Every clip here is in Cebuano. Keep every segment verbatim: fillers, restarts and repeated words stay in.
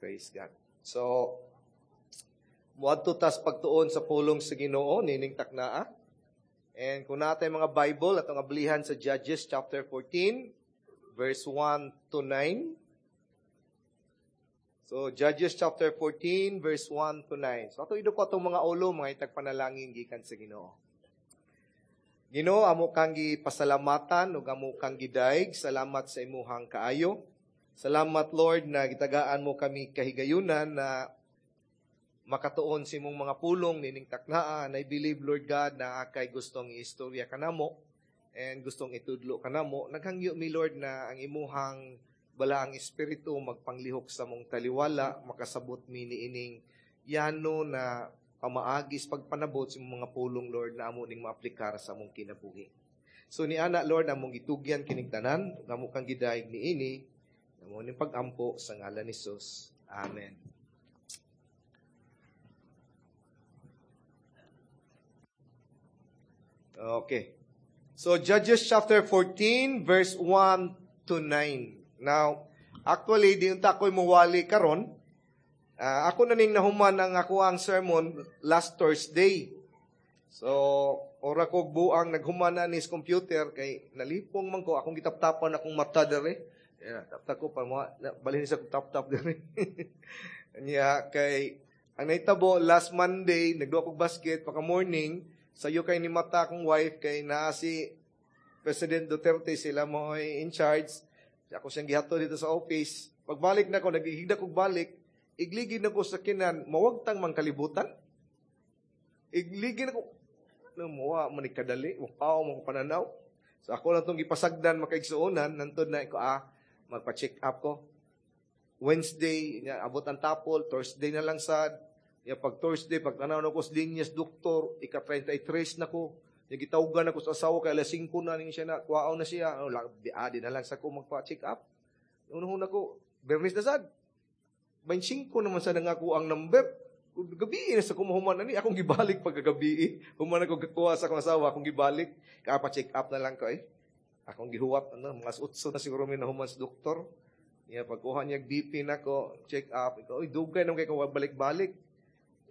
Praise God. So, muadto tas pagtuon sa pulong sa Ginoo nining taknaa. And kung naa tay mga Bible atong ablihan sa Judges chapter fourteen verse one to nine. So Judges chapter fourteen verse one to nine. So ato ido ko atong mga ulo mga itag panalangin gikan sa Ginoo. Ginoo, amo kang gipasalamatan ug amo kang gidayeg. Salamat sa imuhang kaayo. Salamat, Lord, na gitagaan mo kami kahigayunan na makatuon sa imong mga pulong nining taknaa. And I believe, Lord God, na akay gustong iistorya kanamo and gustong itudlo kanamo. Naghangyo mi, Lord, na ang imuhang balaang espiritu magpanglihok sa mong taliwala, makasabot mi niining yano na pamaagis pagpanabot sa imong mga pulong, Lord, na amo ning maaplikar sa among kinabuhi. So ni ana, Lord, among gitugyan kining tanan, amo kang gidayeg niini, amo ning pagampo sa ngalan ni Jesus. Amen. Okay. So Judges chapter fourteen verse one to nine. Now, actually di unta ko'y muwali karon. Uh, ako na ning nahuman ang ako ang sermon last Thursday. So, ora ko buang naghuman na ni sa computer kay nalipong man ko akong gitaptapan akong mata dere. Yeah, tap-tap ko pa mo balhin sa tap-tap dere. Nya kay ang nahitabo last Monday nagduwa kog basket paka morning sayo kay ni mata akong wife kay naa si President Duterte, sila mo in charge. Ako siyang gihato dito sa office. Pagbalik na ko, naghihigda kog balik, igligid na ko sa kinan, mawagtang mang kalibutan. Igligid na ko, no, muwa man ni kadali, mukaw mo pananaw. So ako lang itong gipasagdan makaigsuonan, nantod na ko, ah, magpa-check up ko. Wednesday, niya, abot ang tapol, Thursday na lang sad. Ya, pag Thursday, pag tanaw na ko sa linyas, doktor, ika thirty-three na ko. Ya, gitawgan ako sa asawa, kay alas singko na ning siya na, kuwaaw na siya. Ano, di, ah, di na lang sa ko magpa-check up. Unahon ako, Bernis na sad. twenty-five naman sa nangako ang number. Gabi na sa kumuhuman na ni, akong gibalik pagkagabi. Human ako gakuha sa akong asawa, akong gibalik. Kapa-check up na lang ko eh. Akong gihuwat, ano, mga eight na siguro may nahuman sa doktor. Ya, pagkuha niya B P na ko, check up. Ikaw, oy, dugay naman kay ko balik-balik.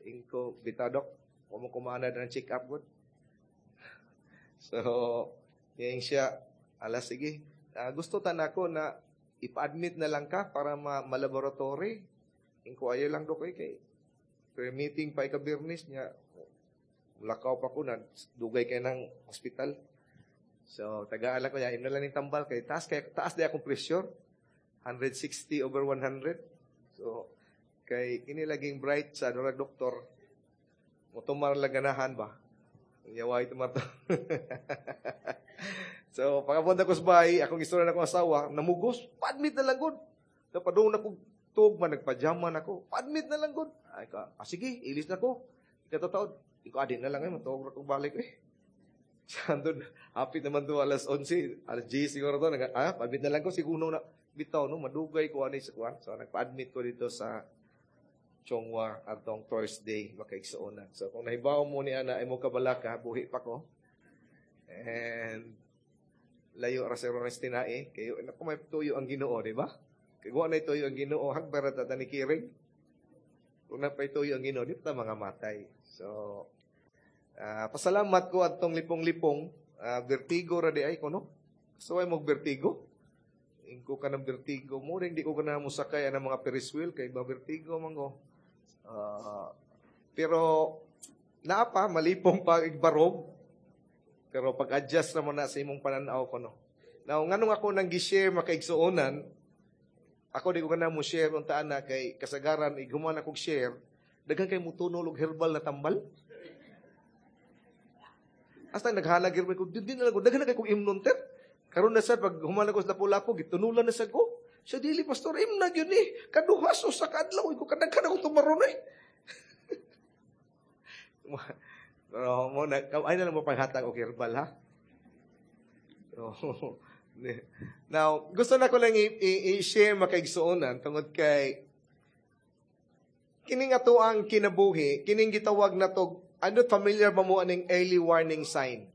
Ingko, bitadok, kumukumana na ng check up good. So, yan siya, ala sige. Uh, gusto tan ako na ipa-admit na lang ka para ma- ma-laboratory. Ingko, ayaw lang do kay kay pre-meeting pa ikabirnis niya. Lakaw pa ko na, dugay kay ng hospital. So, tagaan lang ko niya, na lang yung tambal kay taas, kay, taas di akong pressure. one sixty over one hundred. So, kay kini laging bright sa durag doktor, motumar lang ganahan ba? Yaway tumar to. So, pagkapunta ko sa bahay, akong istorya na akong asawa, namugos, pa-admit na lang gud. Napadung na kong tug, man, nagpajaman ako, pa-admit na lang gud. Ay, ka, ah, sige, ilis na ko. Ikatataod, ikaw, adi na lang eh, matuog na kong balik eh. Siya doon, hapit naman doon, alas onse, alas diyes siguro doon, nag, ah, pa-admit na lang ko, siguro na, bitaw, no, madugay ko anay sa kuwan. So, nagpa-admit ko dito sa Chongwa atong Thursday, makaigsuonan. So, kung nahibaw mo ni ana, ay mo kabalaka, buhi pa ko. And, layo ra sa Rones tinae, kayo, naku, may tuyo ang Ginoo, di ba? Kaya na tuyo ang Ginoo, hagbara ta ni Kiring. Kung napay tuyo ang Ginoo, di pa mga matay. So, uh, pasalamat ko atong lipong-lipong, uh, vertigo ra di ay ko, no? So, ay mong vertigo. Ingko ka ng vertigo mo, hindi ko ka na musakay ang mga Ferris wheel, kay ba vertigo man ko. Uh, pero, naa pa, malipong pa igbarog. Pero pag-adjust na mo na sa imong pananaw ko, no? Now, nganong ako nang gi-share makaigsuonan, ako di ko na mo share untaan na kay kasagaran, ighuman akong share, daghan kay mutunol og herbal na tambal. Hasta naghalag herbal ko, di, di na lang ko, daghan na kay kong imnon ter. Karon na sad pag human ako sa lapu-lapu, gitunulan na sad ko. Siya dili pastor, imna gyud ni. Kaduha so sa kadlaw ko kadaghan akong tumaron eh. Pero mo na ay na lang mo panghatag og herbal ha. So, now, gusto na ko lang i-share makaigsuonan tungod kay kining ato ang kinabuhi, kining gitawag na to, ano familiar ba mo aning early warning sign?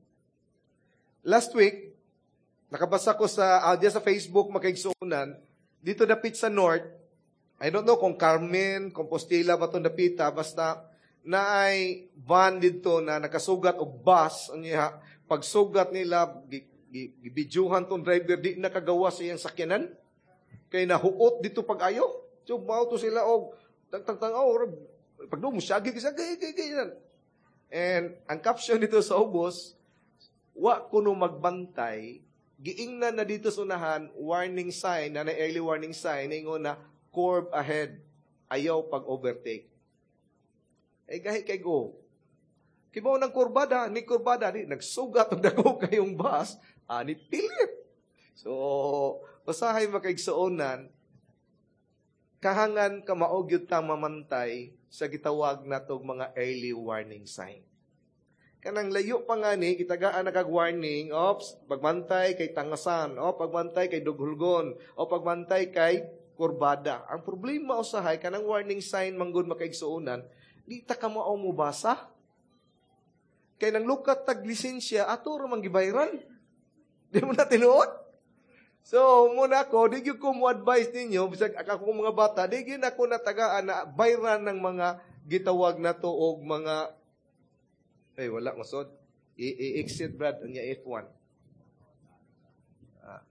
Last week, nakabasa ko sa uh, sa Facebook makaigsuonan, dito dapit sa North, I don't know kung Carmen, Compostela ba itong dapita, basta naay van didto na nakasugat og bus, unya pagsugat nila, gibidyuhan tong driver, di nakagawa sa iyang sakyanan. Kay nahuot didto pag-ayo. So, mao to sila og tang tang oh, pag mo syagi kay gay gay gay. And ang caption didto sa ubos, "Wa kuno magbantay, giingnan na didto sa unahan, warning sign, na na early warning sign, ingon na, 'Curve ahead, ayaw pag-overtake.'" Eh, gahi kay go. Kibaw ng kurbada, ni kurbada, di, nagsugat og dako kayong bus, ani pilit. So, usahay, makaigsuonan, kahangan kamao gyud ta mamantay sa gitawag natog mga early warning sign. Kanang layo pa nga ni, gitagaan na kag warning, ops, pagbantay kay tangasan, o pagbantay kay dughulgon, o pagbantay kay kurbada. Ang problema usahay, kanang warning sign manggod, makaigsuonan, di ta ka mao mobasa. Kay nang lukat tag lisensya, ato ra man gibayran. Di mo na tinuod? So, muna ako, di gyud ko mo advise ninyo, bisag ako mga bata, di gyud ako natagaan na bayran ng mga gitawag na to og mga, ay, wala masod. I-exit, Brad, unya F one. Ah.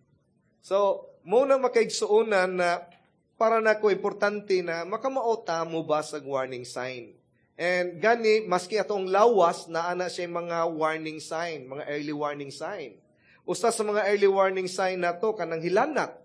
So, muna, makaigsuonan, na para nako importante na makamao ta mo basag warning sign. And gani, maski atong lawas, naa na siya mga warning sign, mga early warning sign. Usa sa mga early warning sign nato kanang hilanat.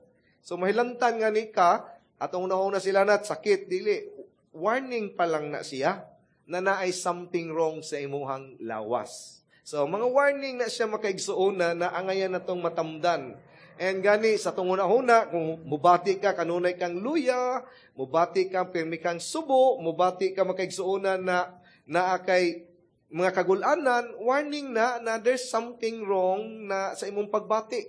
So mahilantan nga ni ka, atong una sila nat sakit dili. Warning pa lang na siya na naay something wrong sa imuhang lawas. So mga warning na siya, makaigsuona, na angayan natong matamdan. And gani sa atong una-una, kung mubati ka kanunay kang luya, mubati ka pirmi kang subo, mubati ka, makaigsuonan, na naa kay mga kagulanan, warning na na there's something wrong na sa imong pagbati.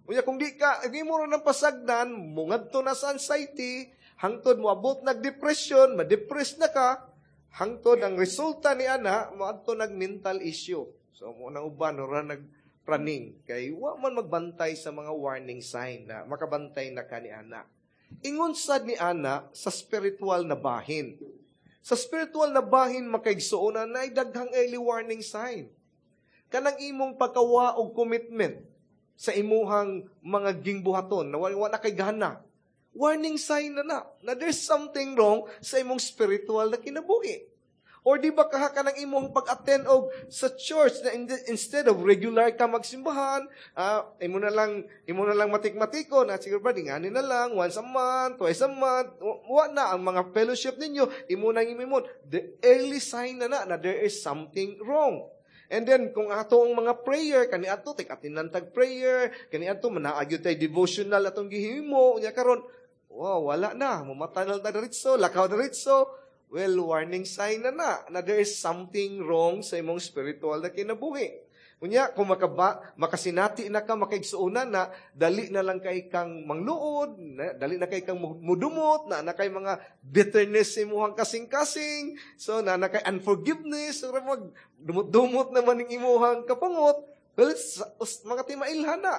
Unya kung di ka, hindi mo ng pasagdan, mungadto na sa anxiety, hangtod moabot nag depression, ma-depress na ka, hangtod ang resulta ni ana, moadto nag mental issue. So mo nang uban ora nag praning kay wa man magbantay sa mga warning sign na makabantay na ka ni ana. Ingon sad ni ana sa spiritual na bahin. Sa spiritual na bahin, makaigsuonan, na daghang early warning sign. Kanang imong pagkawa og commitment sa imuhang mga gingbuhaton na wa na kay gana. Warning sign na na, na there's something wrong sa imong spiritual na kinabuhi. Or di ba kaha ka ng imong pag-attend og sa church na instead of regular ka magsimbahan, uh, imo na lang imo na lang matik-matiko na siguro ba ngani na lang once a month, twice a month, wa na ang mga fellowship ninyo, imo nang imimon. The early sign na na na there is something wrong. And then, kung ato ang mga prayer, kani ato, tek atinan tag prayer, kani ato, manaagyo tay devotional atong gihimo, unya karon, wow, wala na, mumata na ta diretso, lakaw diretso. Well, warning sign na na, na there is something wrong sa imong spiritual na kinabuhi. Unya, kung makaba, makasinati na ka, makaigsuonan na, dali na lang kay kang mangluod, na, dali na kay kang mudumot, na na kay mga bitterness sa imuhang kasing-kasing, so na na kay unforgiveness, so mag dumot-dumot naman ning imuhang kapungot, well, sa, mga timailhan na,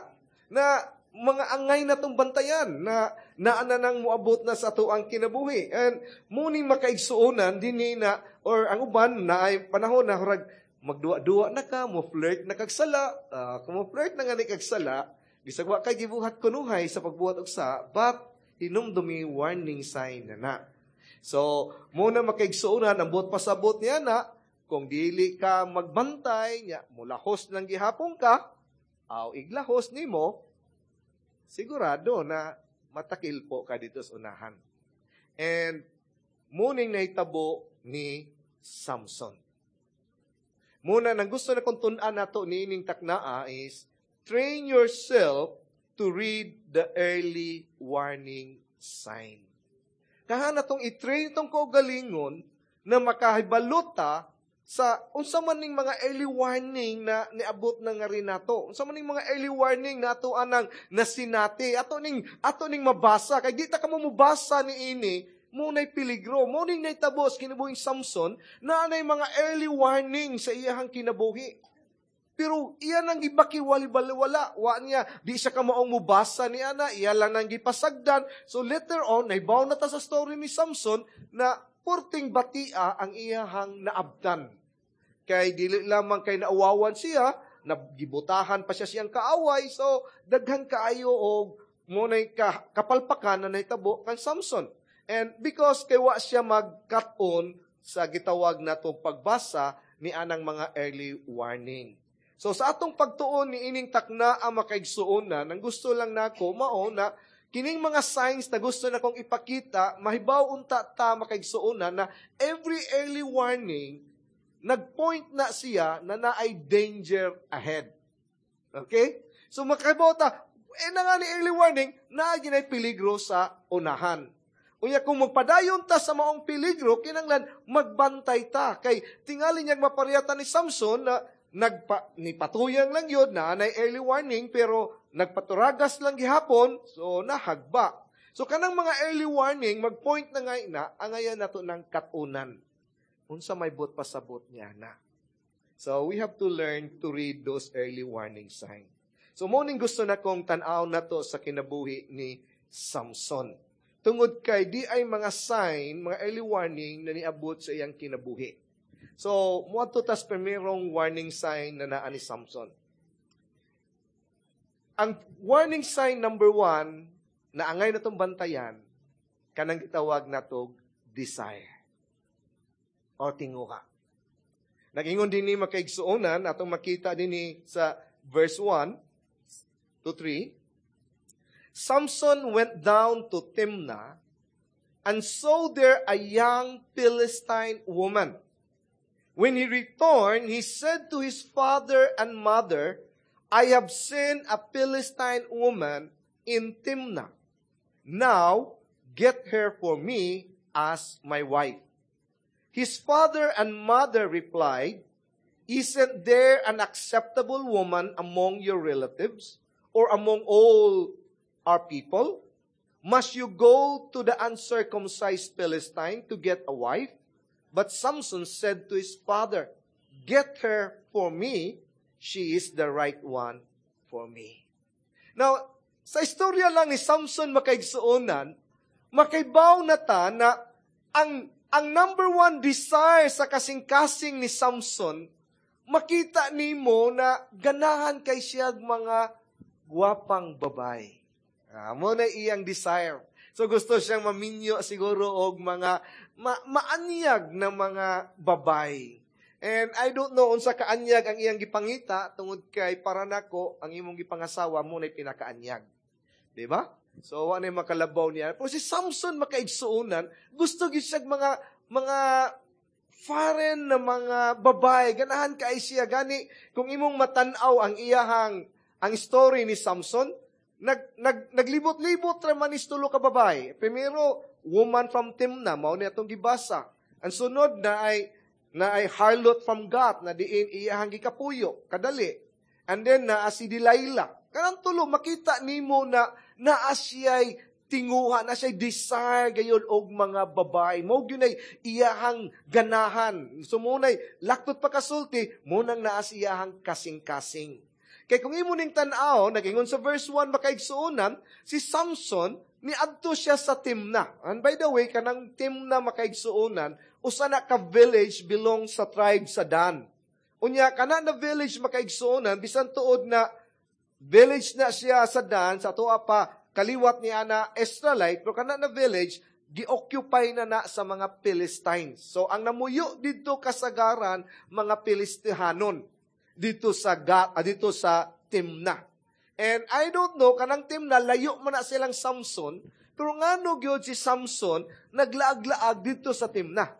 na mga angay na tong bantayan na naa na nang moabot na sa ato ang kinabuhi. And muning makaigsuonan dinhi na or ang uban na ay panahon na hurag magduwa-duwa na ka, mo flirt na kag sala, uh, kung mo flirt na nga ni kag sala, bisag wa kay gibuhat kunuhay sa pagbuhat og sa, but hinumdumi, warning sign na na. So, muna, makaigsuonan, ang buot pasabot niya na, kung dili ka magbantay, nya, mulahos lang gihapon ka, aw iglahos nimo, sigurado na matakil po ka didto sa unahan. And muning nahitabo ni Samson. Muna, nang gusto na kong tun-an nato niining taknaa is, train yourself to read the early warning sign. Kaha na tong i-train tong kaugalingon na makahibalota sa unsa man ning mga early warning na niabot na nga rin nato. Unsa man ning mga early warning na ato anang nasinati, ato ning ato ning mabasa kay di ta kamo mobasa ni ini mo nay peligro, mo ning nahitabo sa kinabuhing Samson na anay mga early warning sa iyahang kinabuhi. Pero iya nang gibakiwali-wala, wa niya, di siya kamaong mubasa ni ana, iya lang nang gipasagdan. So later on, nahibaw na ta sa story ni Samson na purting batia ang iyahang naabtan. Kay dili lamang kay nauwawan siya, nagibutahan pa siya siyang kaaway. So daghan kaayo og munay ka, kapalpakan na nahitabo kang Samson. And because kay wa siya mag-cut-on sa gitawag natong pagbasa ni anang mga early warning. So sa atong pagtuon ni ining takna ang makaigsuonan, ang gusto lang nako mao na kining mga signs na gusto na kong ipakita, mahibaw unta ta makaigsuonan na every early warning nagpoint na siya na naay danger ahead. Okay? So makahibaw ta, eh na nga ni early warning, naa ginay peligro sa unahan. Unya kung magpadayon ta sa maong peligro, kinanglan magbantay ta. Kay tingali niyang mapariyatan ni Samson na nagpa, ni patuyang lang yun, na anay early warning, pero nagpaturagas lang gihapon, so nahagba. So kanang mga early warning, magpoint na nga na, angayan nato ng katunan. Unsa may buot pasabot niya na. So we have to learn to read those early warning signs. So mo ning gusto na kong tan-aw na to sa kinabuhi ni Samson. Tungod kay di ay mga sign, mga early warning na niabot sa iyang kinabuhi. So, muadto tas primerong warning sign na naa ni Samson. Ang warning sign number one, na angay na itong bantayan, kanang gitawag natog desire o tinguha. Nag-ingon din ni makaigsuonan, atong makita din ni sa verse one to three, Samson went down to Timnah and saw there a young Philistine woman. When he returned, he said to his father and mother, "I have seen a Philistine woman in Timnah. Now, get her for me as my wife." His father and mother replied, "Isn't there an acceptable woman among your relatives or among all our people? Must you go to the uncircumcised Philistine to get a wife?" But Samson said to his father, "Get her for me. She is the right one for me." Now, sa istorya lang ni Samson makaigsuonan, makaibaw na ta na ang, ang number one desire sa kasing-kasing ni Samson, makita nimo na ganahan kay siya mga gwapang babae. Ah, mo na iyang desire. So gusto siyang maminyo siguro og mga ma- maanyag na mga babae. And I don't know unsa kaanyag ang iyang gipangita tungod kay para nako ang imong gipangasawa mo na pinakaanyag. Di ba? So wa na makalabaw niya. Pero si Samson makaigsuonan, gusto gyud siya mga mga foreign na mga babae. Ganahan kay siya gani kung imong matan-aw ang iyahang ang story ni Samson, nag, nag, naglibot-libot ra man is tulo ka babae. Primero, woman from Timna, mao ni atong gibasa. Ang sunod na ay na ay harlot from Gath na diin iyahang gikapuyo, kadali. And then naa si Delilah. Kanang tulo makita nimo na naa siya'y tinguha, na siya'y desire gayon og mga babae. Mao gyud ay iyahang ganahan. So mo nay laktot pa kasulti, mo nang naa siyahang kasing-kasing. Kay kung imo ning tan-aw, nag-ingon sa verse one makaigsuonan, si Samson niadto siya sa Timna. And by the way, kanang Timna makaigsuonan, usa na ka village belong sa tribe sa Dan. Unya kana na village makaigsuonan, bisan tuod na village na siya sa Dan, sa tuwa pa kaliwat ni ana Israelite, pero kana na village gi-occupy na na sa mga Philistines. So ang namuyo didto kasagaran mga Filistihanon dito sa Gat, ah, dito sa Timna. And I don't know, kanang Timna, layo man na silang Samson, pero ngano gyud si Samson naglaag-laag dito sa Timna?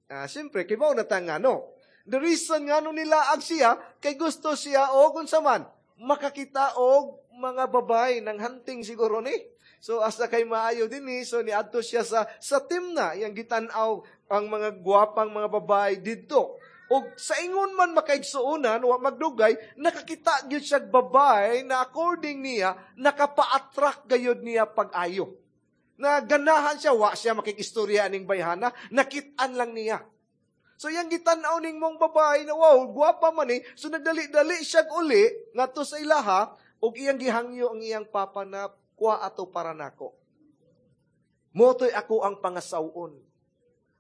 Ah, siyempre, kibaw na ta ngano. The reason ngano nilaag siya, kay gusto siya og unsa man, makakita og mga babae ng hunting siguro ni. So asa kay maayo din ni, so niadto siya sa sa Timna, iyang gitan-aw ang mga gwapang mga babae didto. Og sa ingon man makaigsuonan, wa magdugay, nakakita gyud siya babae na according niya, nakapa-attract gayud niya pag-ayo. Na ganahan siya, wa siya makikistorya aning bayhana, nakit-an lang niya. So yang gitan-aw ning mong babae na wow, gwapa man ni, so nagdali-dali siya uli ngadto sa ilaha ug iyang gihangyo ang iyang papa na kuha ato para nako. Mao to'y ako ang pangasawon.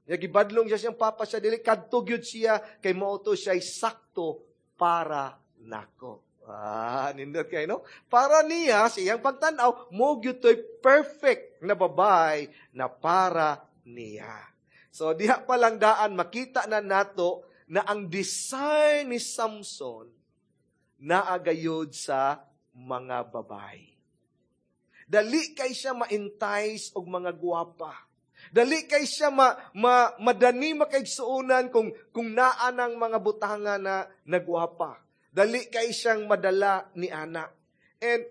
Ya gibadlong siya siyang papa siya dili kadto gyud siya kay mao to siya sakto para nako. Ah, nindot kay no? Para niya sa iyang pagtan-aw, mo gyud to'y perfect na babae na para niya. So diha pa lang daan makita na nato na ang desire ni Samson naa gayod sa mga babae. Dali kay siya ma-entice og mga gwapa. Dali kay siya ma, ma, madani makaigsuonan kung, kung naa ng mga butanga na nagwapa. Dali kay siyang madala ni ana. And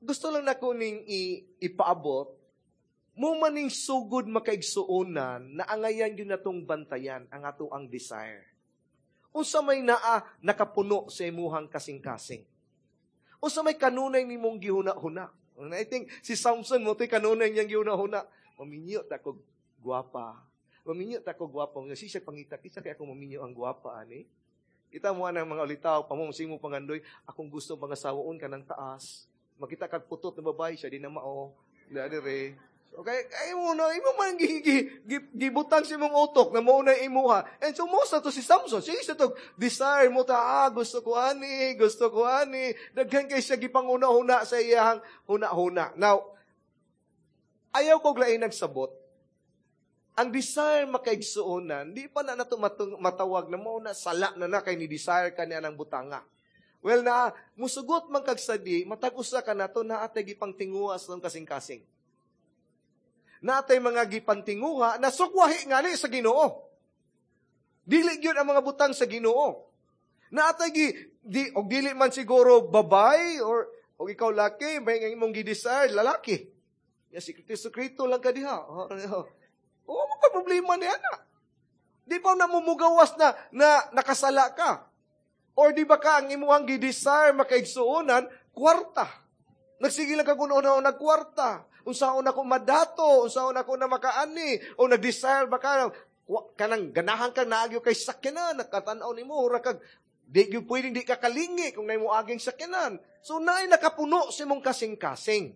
gusto lang nako ning i, ipaabot mo maning sugod makaigsuonan na angayan gyud natong bantayan ang ato ang desire. Unsa may naa nakapuno sa imuhang kasing-kasing. Unsa may kanunay nimong gihuna-huna. And I think si Samson mo to'y kanunay niyang gihuna-huna. Maminyo ta ko gwapa. Maminyo ta ko gwapa. Nga siya pangita kisa kay ako maminyo ang gwapa ani. Kita mo ang mga ulitaw, pamong simo pangandoy, akong gusto pangasawaon ka ng taas. Makita kag putot na babae siya di na mao. Dire. Okay, ay mo na, imo man gi, gi, gi, gibutang sa imong utok na mao na imuha. And so mo sa to si Samson, sige sa to desire mo ta, ah, gusto ko ani, gusto ko ani. Daghan kay siya gipanguna-huna sa iyang huna-huna. Now, ayaw ko lain nagsabot. Ang desire makaigsuonan, di pa na nato matawag na mo na sala na na kay ni desire ka niya ng butanga. Well na, musugot man kag sadi, matag usa ka nato naa tay gipangtinguha sa kasing-kasing. Natay mga gipantinguha na sukwahi ngali sa Ginoo. Dili gyud ang mga butang sa Ginoo. Naatay gi di og dili man siguro babay or og ikaw laki may nga imong gi-desire lalaki. Ya si Kristo Kristo lang ka diha. Oh, mo ka problema niya na. Di pa na mumugawas na na nakasala ka. Or di ba ka ang imuhang gi-desire makaigsuonan kwarta. Nagsige lang ka kung una nagkwarta. Unsaon ako madato, unsaon ako na makaani, o nag-desire ba ka, kanang ganahan ka naagyo kay sakyanan, nakatanaw nimo, ura kag, di gyud pwedeng di ka kalingi kung naimo aging sakyanan. So naay nakapuno sa imong kasing-kasing.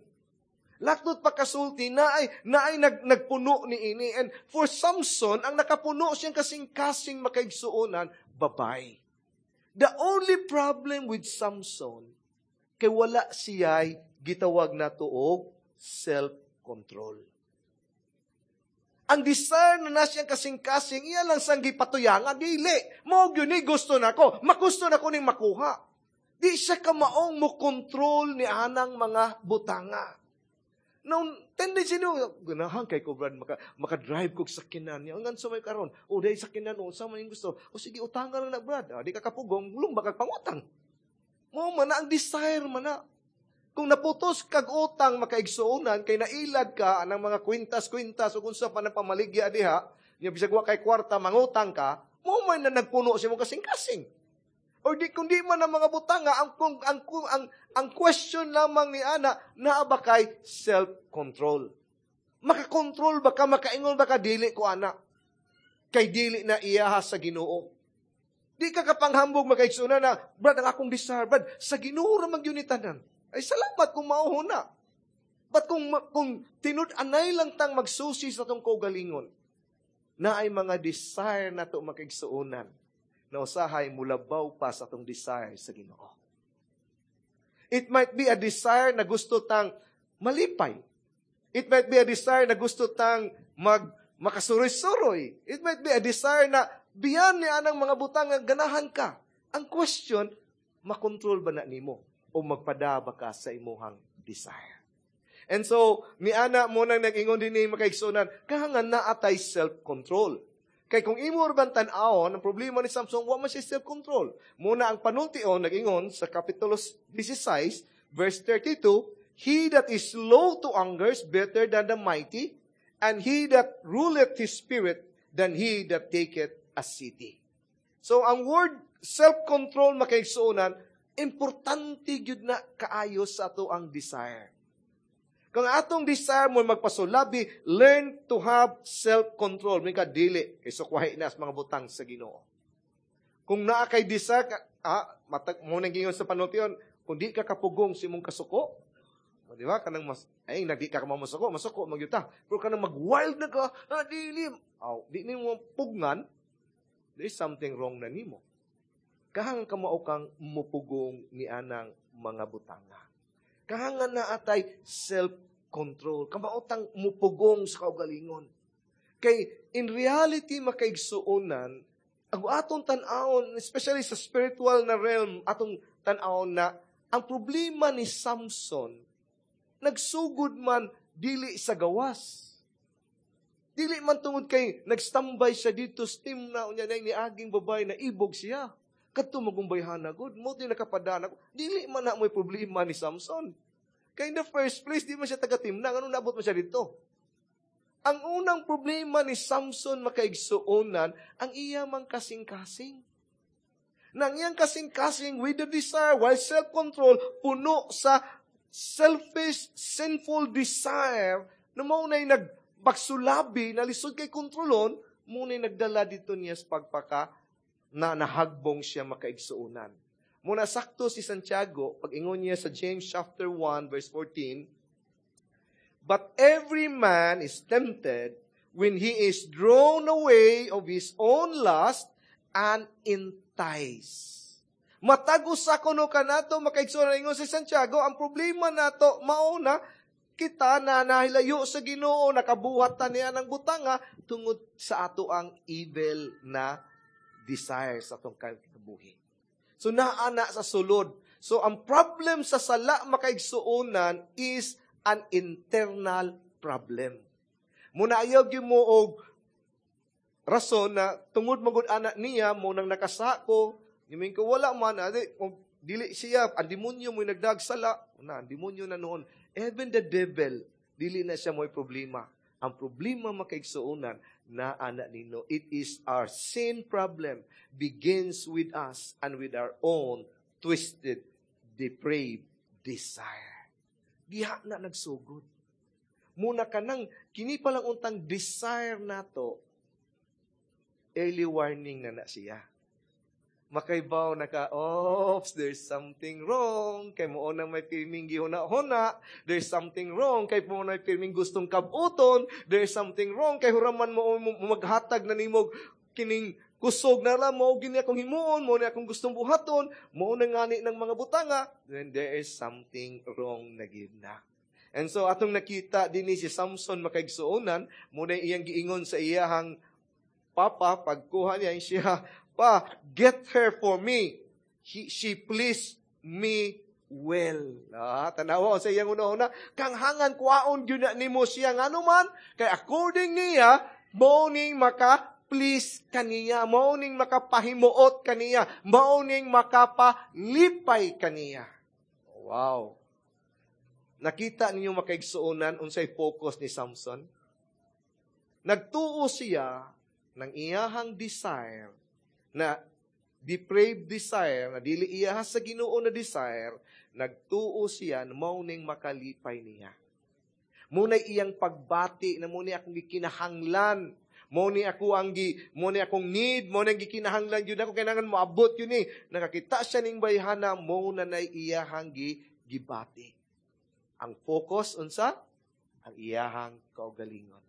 Laktod pa kasulti, naay, naay nag, nagpuno ni ini. And for Samson, ang nakapuno siyang kasing-kasing makaigsuonan, babay. The only problem with Samson, kay wala siya'y gitawag na og self-control. Ang desire na na siyang kasing-kasing, iya lang sang gipatuyangan, dili. Mao gyud ni gusto nako, magusto nako ning makuha. Di siya kamaong mo control ni anang mga butanga. Now, tendency niyo, ganahan kay ko, Brad, maka, maka-drive kog sakyanan niya. Ang sa may karon, o dahil sakyanan, o sa man yung gusto. O sige, utangan lang na, Brad. Ah, di ka kapugong, lumba kag pangutang. Mo man na, ang desire man na. Kung naputos kag utang makaigsuonan, kay nailad ka ng mga kwintas-kwintas o kung sa pa ng pamaligya diha, niya bisag wa kay kwarta, mangutang ka, mo man na nagpuno sa imong kasing-kasing. Or di, kung di man ang mga butanga, ang, kung, ang, ang, ang, ang question lamang ni Ana, naa ba kay self-control? Makakontrol ba ka, makaingon ba ka, dili ko ana? Kay dili na iyaha sa Ginoo. Di ka kapanghambog makaigsuonan na, Brad, ang akong desire, Brad, sa Ginoo ra man gyud ni tanan. Ay salamat kung mao na. But kung, kung tinud-anay lang tang magsusi sa atong kaugalingon, na ay mga desire na to makaigsuonan, na usahay mulabaw pa sa atong desire sa Ginoo. It might be a desire na gusto tang malipay. It might be a desire na gusto tang mag makasuroy-suroy. It might be a desire na biyan ni anang mga butang nga ganahan ka. Ang question, makontrol ba na nimo o magpadaba ka sa imuhang desire? And so, ni ana mo nang nag-ingon din ni makaigsunan, kahangan na atay self-control. Kay kung imo ban tan-awon, ang problema ni Samson, wa man siya self-control. Muna ang panultion, nag-ingon sa Kapitulo sixteen, verse thirty-two, "He that is slow to anger is better than the mighty, and he that ruleth his spirit than he that taketh a city." So, ang word self-control makaigsuonan, importante gyud na kaayo sa ato ang desire. Kung atong desire mo magpasulabi, learn to have self-control. May ka dili, kay sukwahi na sa mga butang sa Ginoo. Kung naa kay desire, ka, ah, matag, mo nang gingon sa panultion, kung di ka kapugong sa imong kasuko, o, di ba? Kanang mas, ay, nagdi ka masuko, masuko, magyuta. Pero kanang mag-wild na ka, ah, dili, aw, di nimo pugnan, there is something wrong na nimo. Kahang kamao kang mupugong ni anang mga butanga. Kahangan na atay self-control. Kamaotang mupugong sa kaugalingon. Kay in reality makaigsuonan, ang atong tan-awon, especially sa spiritual na realm, atong tan-awon na ang problema ni Samson, nagsugod man dili sa gawas. Dili man tungod kay nagstambay siya dito sa Timna, unya na ni aging babae na ibog siya. Kadto magumbayhana gud, mo di nakapadana ko. Dili man na mo'y problema ni Samson. Kay in the first place, di man siya taga Timna, nganong naabot man siya dito? Ang unang problema ni Samson makaigsuonan, ang iya mang kasing-kasing. Nang iyang kasing-kasing with the desire, while self-control, puno sa selfish, sinful desire, na mao na'y nagpagsulabi, na lisod kay kontrolon, mao na'y nagdala dito niya sa pagpaka, na nahagbong siya makaigsuonan. Muna sakto si Santiago, pag ingon niya sa James chapter one, verse fourteen, "But every man is tempted when he is drawn away of his own lust and enticed." Matag usa kuno kanato makaigsuonan, ingon si Santiago, ang problema nato mao na kita na nahilayo sa Ginoo, nakabuhat ta niya ng butanga tungod sa ato ang evil na desire sa atong kinabuhi. So naa na sa sulod. So ang problem sa sala makaigsuonan is an internal problem. Muna ayaw gyud mo og rason na tungod magud ana niya mo nang nakasako, nimin ko wala man adi, kung dili siya ang demonyo mo nagdagsala na ang demonyo na noon. Even the devil, dili na siya mo'y problema. Ang problema makaigsuonan na ana nino. It is our sin problem begins with us and with our own twisted, depraved desire. Diha na nagsugod. Muna ka nang, kini pa lang untang desire nato, early warning na na siya. Makaibaw na ka, "Oops, there's something wrong." Kay mo nang may pirming gihuna-huna. There's something wrong. Kay mo may pirming gustong kabuton. There's something wrong. Kay huraman mo, mo maghatag na nimo kining kusog na lang mo gini akong himuon, mo ni akong gustong buhaton, mo na ngani ng mga butanga, then there is something wrong na gid na. And so atong nakita dinhi si Samson makaigsuonan, mo na iyang giingon sa iyahang papa pagkuha niya siya, "Pa, get her for me. He, she pleased me well." Ah, tanawa sa iyang una-una, kanghangan kuwaon gyud na nimo siya ngano man kay according niya mao ning maka please kaniya, mao ning makapahimuot kaniya, mao ning makapalipay kaniya. Wow. Nakita ninyo makaigsuonan unsay focus ni Samson? Nagtuo siya ng iyahang desire na depraved desire, na dili iya sa Ginoo na desire, nagtuo siya na mao ning makalipay niya. Muna'y iyang pagbati na muna akong gikinahanglan. Mo ni ako ang gi, mo ni akong need, mo ni ang gikinahanglan yun ako, kailangan moabot yun eh. Nakakita siya ning bayhana, mo na nay iyahang gi, gibati. Ang focus unsa? Ang iyahang kaugalingon.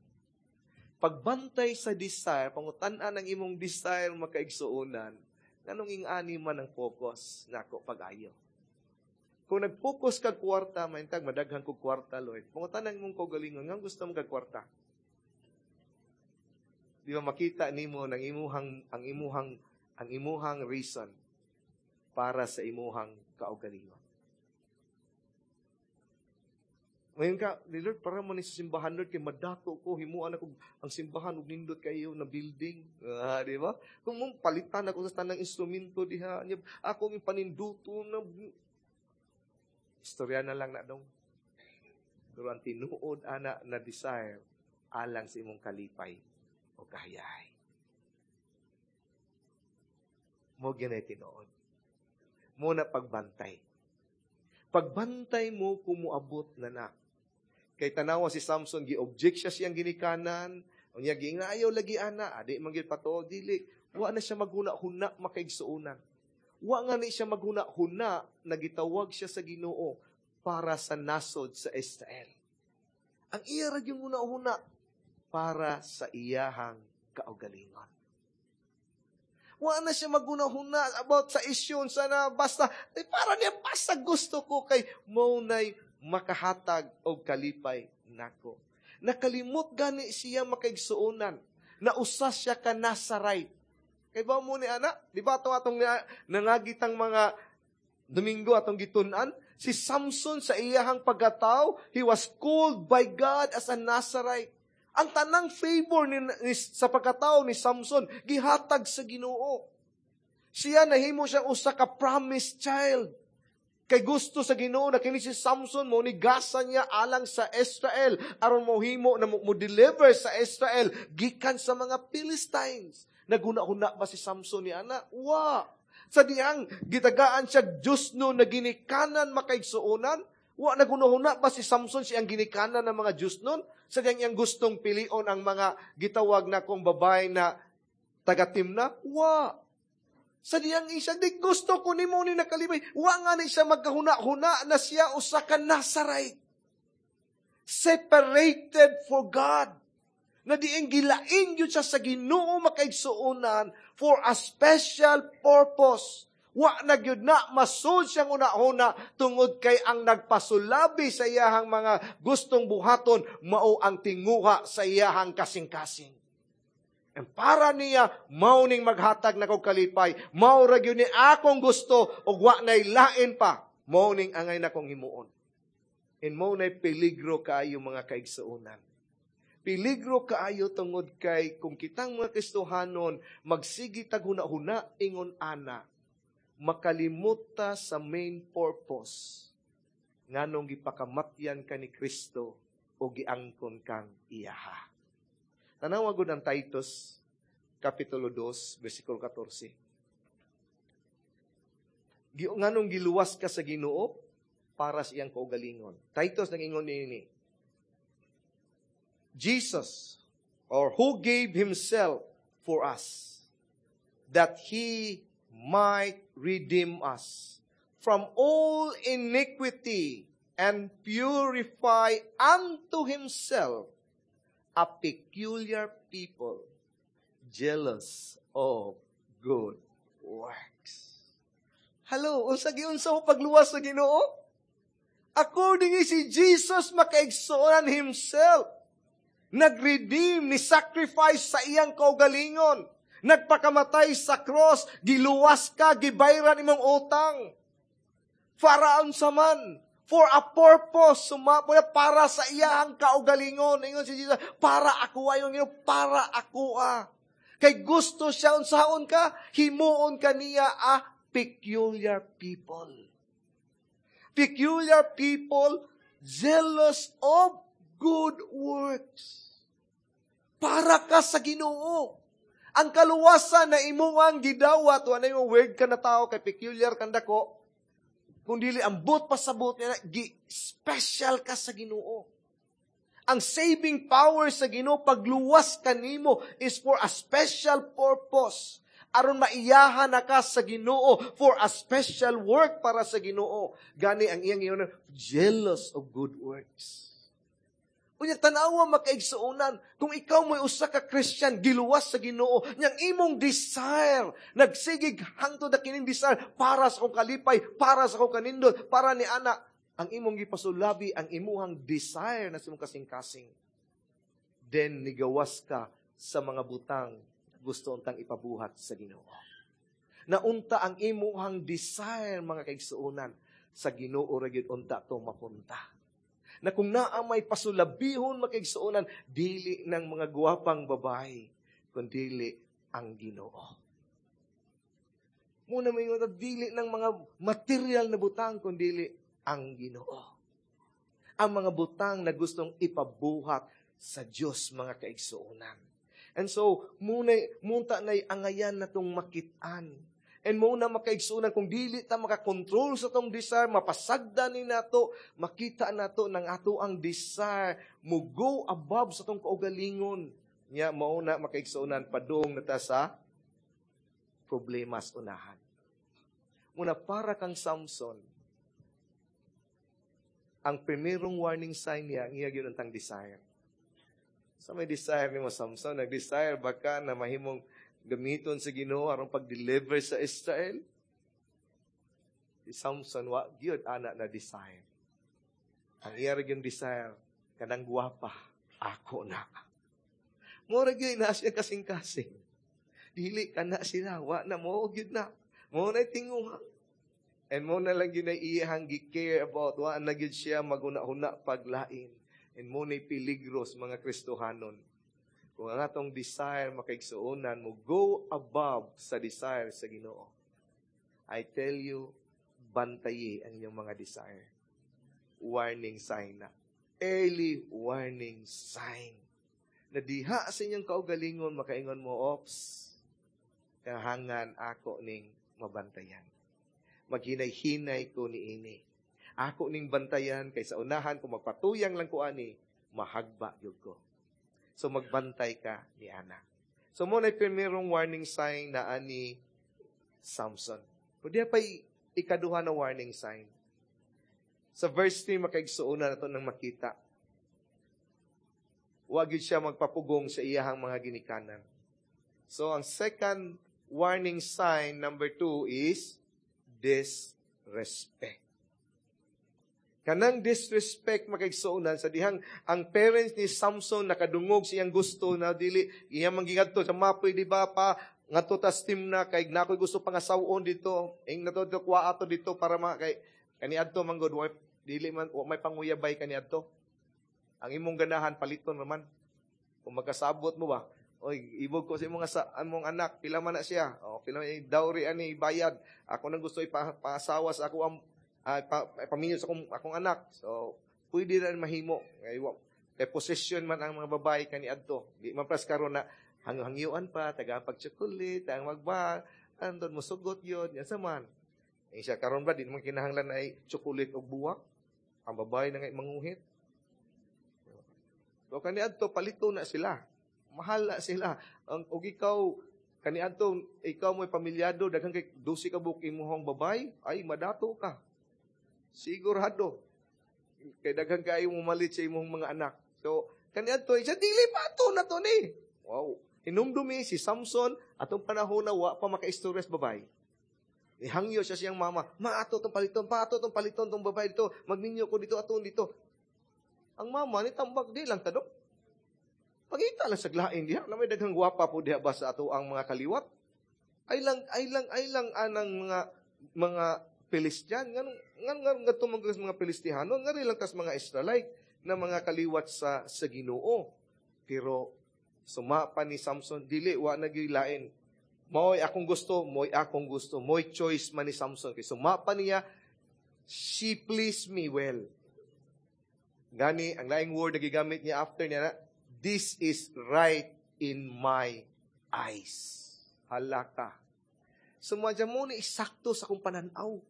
Pagbantay sa desire, pangutan-an ang imong desire makaigsuonan, nganong ing-ani man ang focus nako pag-ayo. Kung nag-focus kag kwarta, maintag madaghan kog kwarta, Lord. Pangutan ang imong kaugalingon, nganong gusto mo kag kwarta? Di ba makita nimo ng imuhang ang imuhang ang imuhang reason para sa imuhang kaugalingon. Ngayon ka, ni Lord, para mo ni sa simbahan, Lord, kay madato ko, himuan ako ang simbahan, ug nindot kayo na building. Ah, di ba? Kung mong palitan ako sa tanang instrumento diha, niya, ako ang paninduto na istorya na lang na dong. Pero ang tinuod ana na desire alang sa imong kalipay o kahayahay. Mo ginay tinuod. Mo na pagbantay. Pagbantay mo kung moabot na na. Kay tanawa si Samson, gi-object siya siyang ginikanan. Unya giingna ayaw lagi ana, adi man gyud patuo dili. Wa na siya maghuna-huna makaigsuonan. Wa nga ni siya maghuna-huna nagitawag siya sa Ginoo para sa nasod sa Israel. Ang iya ra yung huna-huna para sa iyahang kaugalingon. Wa na siya maghuna-huna about sa issue sana basta eh, para niya basta gusto ko kay mao nay makahatag og kalipay nako. Nakalimot gani siya makaigsuonan. Nausa siya ka Nazarite. Kay ba mo ni ana? Di ba ato atong nangagitang mga Domingo atong gitun-an? Si Samson sa iyahang pagkatao, he was called by God as a Nazarite. Ang tanang favor ni, ni, sa pagkatao ni Samson, gihatag sa Ginoo. Siya nahimo siya usa ka promised child. Kay gusto sa Ginoo na kini si Samson mo ni gasa niya alang sa Israel aron mohimo na mo, mo deliver sa Israel gikan sa mga Philistines. Naguna-huna ba si Samson ni ana? Wa. Sa dihang gitagaan siya Diyos no na ginikanan makaigsuonan, wa naguna-huna ba si Samson siyang ginikanan ng mga Diyos nun? Sa dihang iyang gustong pilion ang mga gitawag na kong babae na taga-Timna? Wa. Sa diyang isa, di gusto ko nimo ni nakalibay. Wa nga ni siya magkahuna-huna na siya usa ka Nazarite. Separated for God. Na diing gilain yun siya sa Ginoo makaigsuonan for a special purpose. Wa na gyud na masud siyang una-una tungod kay ang nagpasulabi sa iyahang mga gustong buhaton mao ang tinguha sa iyahang kasing-kasing. And para niya, mao ning maghatag na kog kalipay, mao ra gyud ni akong gusto ug wa nay lain pa, mao ning angay na kong himuon. And mao nay peligro kaayo mga kaigsuonan. Peligro kaayo tungod kay kung kitang mga Kristohanon magsige tag huna-huna ingon ana, makalimot ta sa main purpose nganong gipakamatyan ka ni Kristo o giangkon kang iyaha. Tanawa gud ang Titus kapitulo two bersikulo fourteen. Nganong giluwas ka sa Ginoo para sa iyang kaugalingon. Titus nag-ingon niini. Jesus, or who gave himself for us, that he might redeem us from all iniquity and purify unto himself a peculiar people, jealous of good works. Hello, unsa giunsa mo pagluwas sa Ginoo? According si Jesus makaigsuonan himself, nag-redeem, ni sacrifice sa iyang kaugalingon, nagpakamatay sa cross, giluwas ka, gibayran imong utang. Para unsa man, for a purpose, sumapo na para sa iyang kaugalingon. Ingon si Jesus, para ako ayon Ginoo, para ako ah. Kay gusto siya unsaon ka, himuon ka niya a peculiar people. Peculiar people, jealous of good works. Para ka sa Ginoo. Ang kaluwasan na imuang gidawat, wala yung weird ka na tao, kay peculiar kang dako, kung dili ang buot pasabot niya, gi-special ka sa Ginoo. Ang saving power sa Ginoo, pagluwas kanimo is for a special purpose. Aron maiyahan na ka sa Ginoo for a special work para sa Ginoo. Gani ang iyang iyon, jealous of good works. Unya tanawa makaigsuonan, kung ikaw mo'y usa ka Christian, giluwas sa Ginoo, niyang imong desire, nagsigig hangtod na kining desire para sa akong kalipay, para sa akong kanindot, para ni ana, ang imong gipasulabi, ang imuhang desire na sa imong kasing-kasing. Then nigawas ka sa mga butang gusto untang ipabuhat sa Ginoo. Naunta ang imuhang desire mga kaigsuonan sa Ginoo ra gyud unta to mapunta. Na kung naa may pasulabihon makaigsuonan, dili ng mga gwapang babae, kundili ang Ginoo. Muna may nga dili ng mga material na butang, kundili ang Ginoo. Ang mga butang na gustong ipabuhat sa Dios mga kaigsuonan. And so, muna, munta na'y angayan na itong makitaan. And mao na, makaigsuonan, kung dili ta makakontrol sa atong desire, mapasagdan ni nato, makita nato nang ato ang desire mo go above sa atong kaugalingon. Nya mao na, makaigsuonan, padung na ta sa problemas unahan. Muna para kang Samson, ang primerong warning sign niya, ang iya gyud ang desire. Sa may desire nimo, Samson, nag-desire ba ka na mahimong gamiton sa Ginoo aron pag-deliver sa Israel? Si Samson wa gyud ana na desire. Ang iya ra gyud desire, kanang gwapa, ako na. Mura gyud na siya kasing-kasing. Dili ka na sila, wa na mo gyud na. Mo na tinguha. And mo na lang gyud na iyahang gi-care about, wa na gyud siya maguna-huna paglain. And mo na peligro sa mga Kristohanon. Kung ang atong desire, makaigsuonan, mo go above sa desire sa Ginoo. I tell you, bantayi ang inyong mga desire. Warning sign na. Early warning sign. Na diha sa inyong kaugalingon, makaingon mo, "Ops, kahangan ako ning mabantayan. Maghinay-hinay ko ni ini. Ako ning bantayan, kay sa unahan, kung magpatuyang lang ko ani, mahagba gyud ko." So magbantay ka ni ana. So mo na primerong warning sign na ani Samson. Pwede pa ikaduha na warning sign. Sa verse three, makaigsuonan, na to nang makita. Wag yun siya magpapugong sa iyahang mga ginikanan. So, ang second warning sign, number two, is disrespect. Kanang disrespect, makaigsuonan, sa dihang ang parents ni Samson nakadungog siyang gusto na dili iyang manggingadto sa mapoy, di ba, pa ngadto tas Timna kay nakoy gusto pangasawon dito ing nato dito kuha ato dito para ma kay kaniadto man gud dili man wa may panguyabay. Kaniadto ang imong ganahan paliton naman kung magkasabot mo ba. "Oy, ibog ko sa imong sa among anak, pila man na siya?" "O, pila man dowry ani bayad?" "Ako nang gusto ipasawa sa ako ang uh, pa, paminyo sa akong, akong anak." So, pwede na mahimo. Kay, kay possession man ang mga babae kaniadto. Di man pras karon na hangyo-hangyuan pa, taga pag-chocolate, ang magba, andon mo sugot yun, yan sa man. Eh, siya karon ba, di naman kinahanglan ay chocolate o buwak. Ang babae na nga manguhit. So, kaniadto, palito na sila. Mahal na sila. Ang, og ikaw, kaniadto, ikaw mo'y pamilyado, daghan kay dose ka buok imuhang babay, ay, madato ka. Sigurado. Kay daghan kayo mumalit sa imong mga anak. So, kaniadto, siya dili pa ato na to ni. Wow. Hinumdumi si Samson, atong panahon na wa pa makaistorya sa babay. Ihangyo siya siyang mama, "Ma, ato tong paliton, pa ato tong paliton tong babae dito, magminyo ko dito, aton dito." Ang mama ni tambak, "Di lang tadok. Pangita lang sa lain diha, na may daghang gwapa po diha ba sa ato ang mga kaliwat. Ay lang, ay lang, ay lang anang mga mga Philistian, ngan ngan ngan ngadto man mga Pilistihano, ngari lang tas mga Israelite na mga kaliwat sa sa Ginoo." Pero suma pa ni Samson, "Dili, wa na lain. Mo'y akong gusto, mo'y akong gusto," mo'y choice man ni Samson. Kay suma pa niya, "She pleased me well." Gani, ang laing word na gigamit niya after niya na, "This is right in my eyes." Halaka. Sumadya mo ni sakto sa akong pananaw.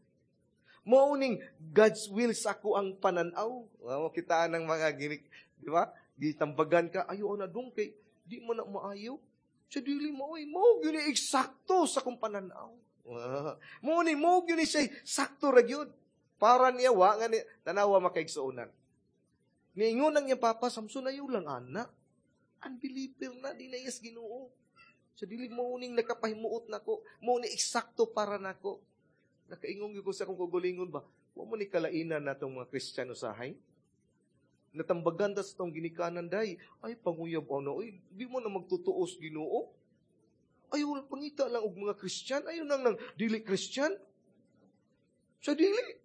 Mao ning God's will sa ako ang pananaw. Wow, kita ng mga ginik, di ba? Gitambagan ka, "Ayo na dong kay di mo na maayo." Sa dili mo, oy, mo gyud ni eksakto sa akong pananaw. Wow. Mo ni mo gyud ni siya sakto ra gyud. Para niya wa nga ni tanawa, makaigsuonan. Niingon ang iyang papa, "Samson, ayo lang ana. Unbeliever na, di na yes Ginoo." Sa dili mo ning nakapahimuot nako, mo ni eksakto para nako. Nakaingon gyud ko sa akong kaugalingon ba, wa mo ni kalainan natong mga Kristiyano usahay? Natambagan ta sa tong ginikanan day, "Ay, panguyab ano, ay, di mo na magtutuos Ginoo. Ay, wala, pangita lang og mga Kristiyan, ayo nang nang dili Kristiyan." Sa dili.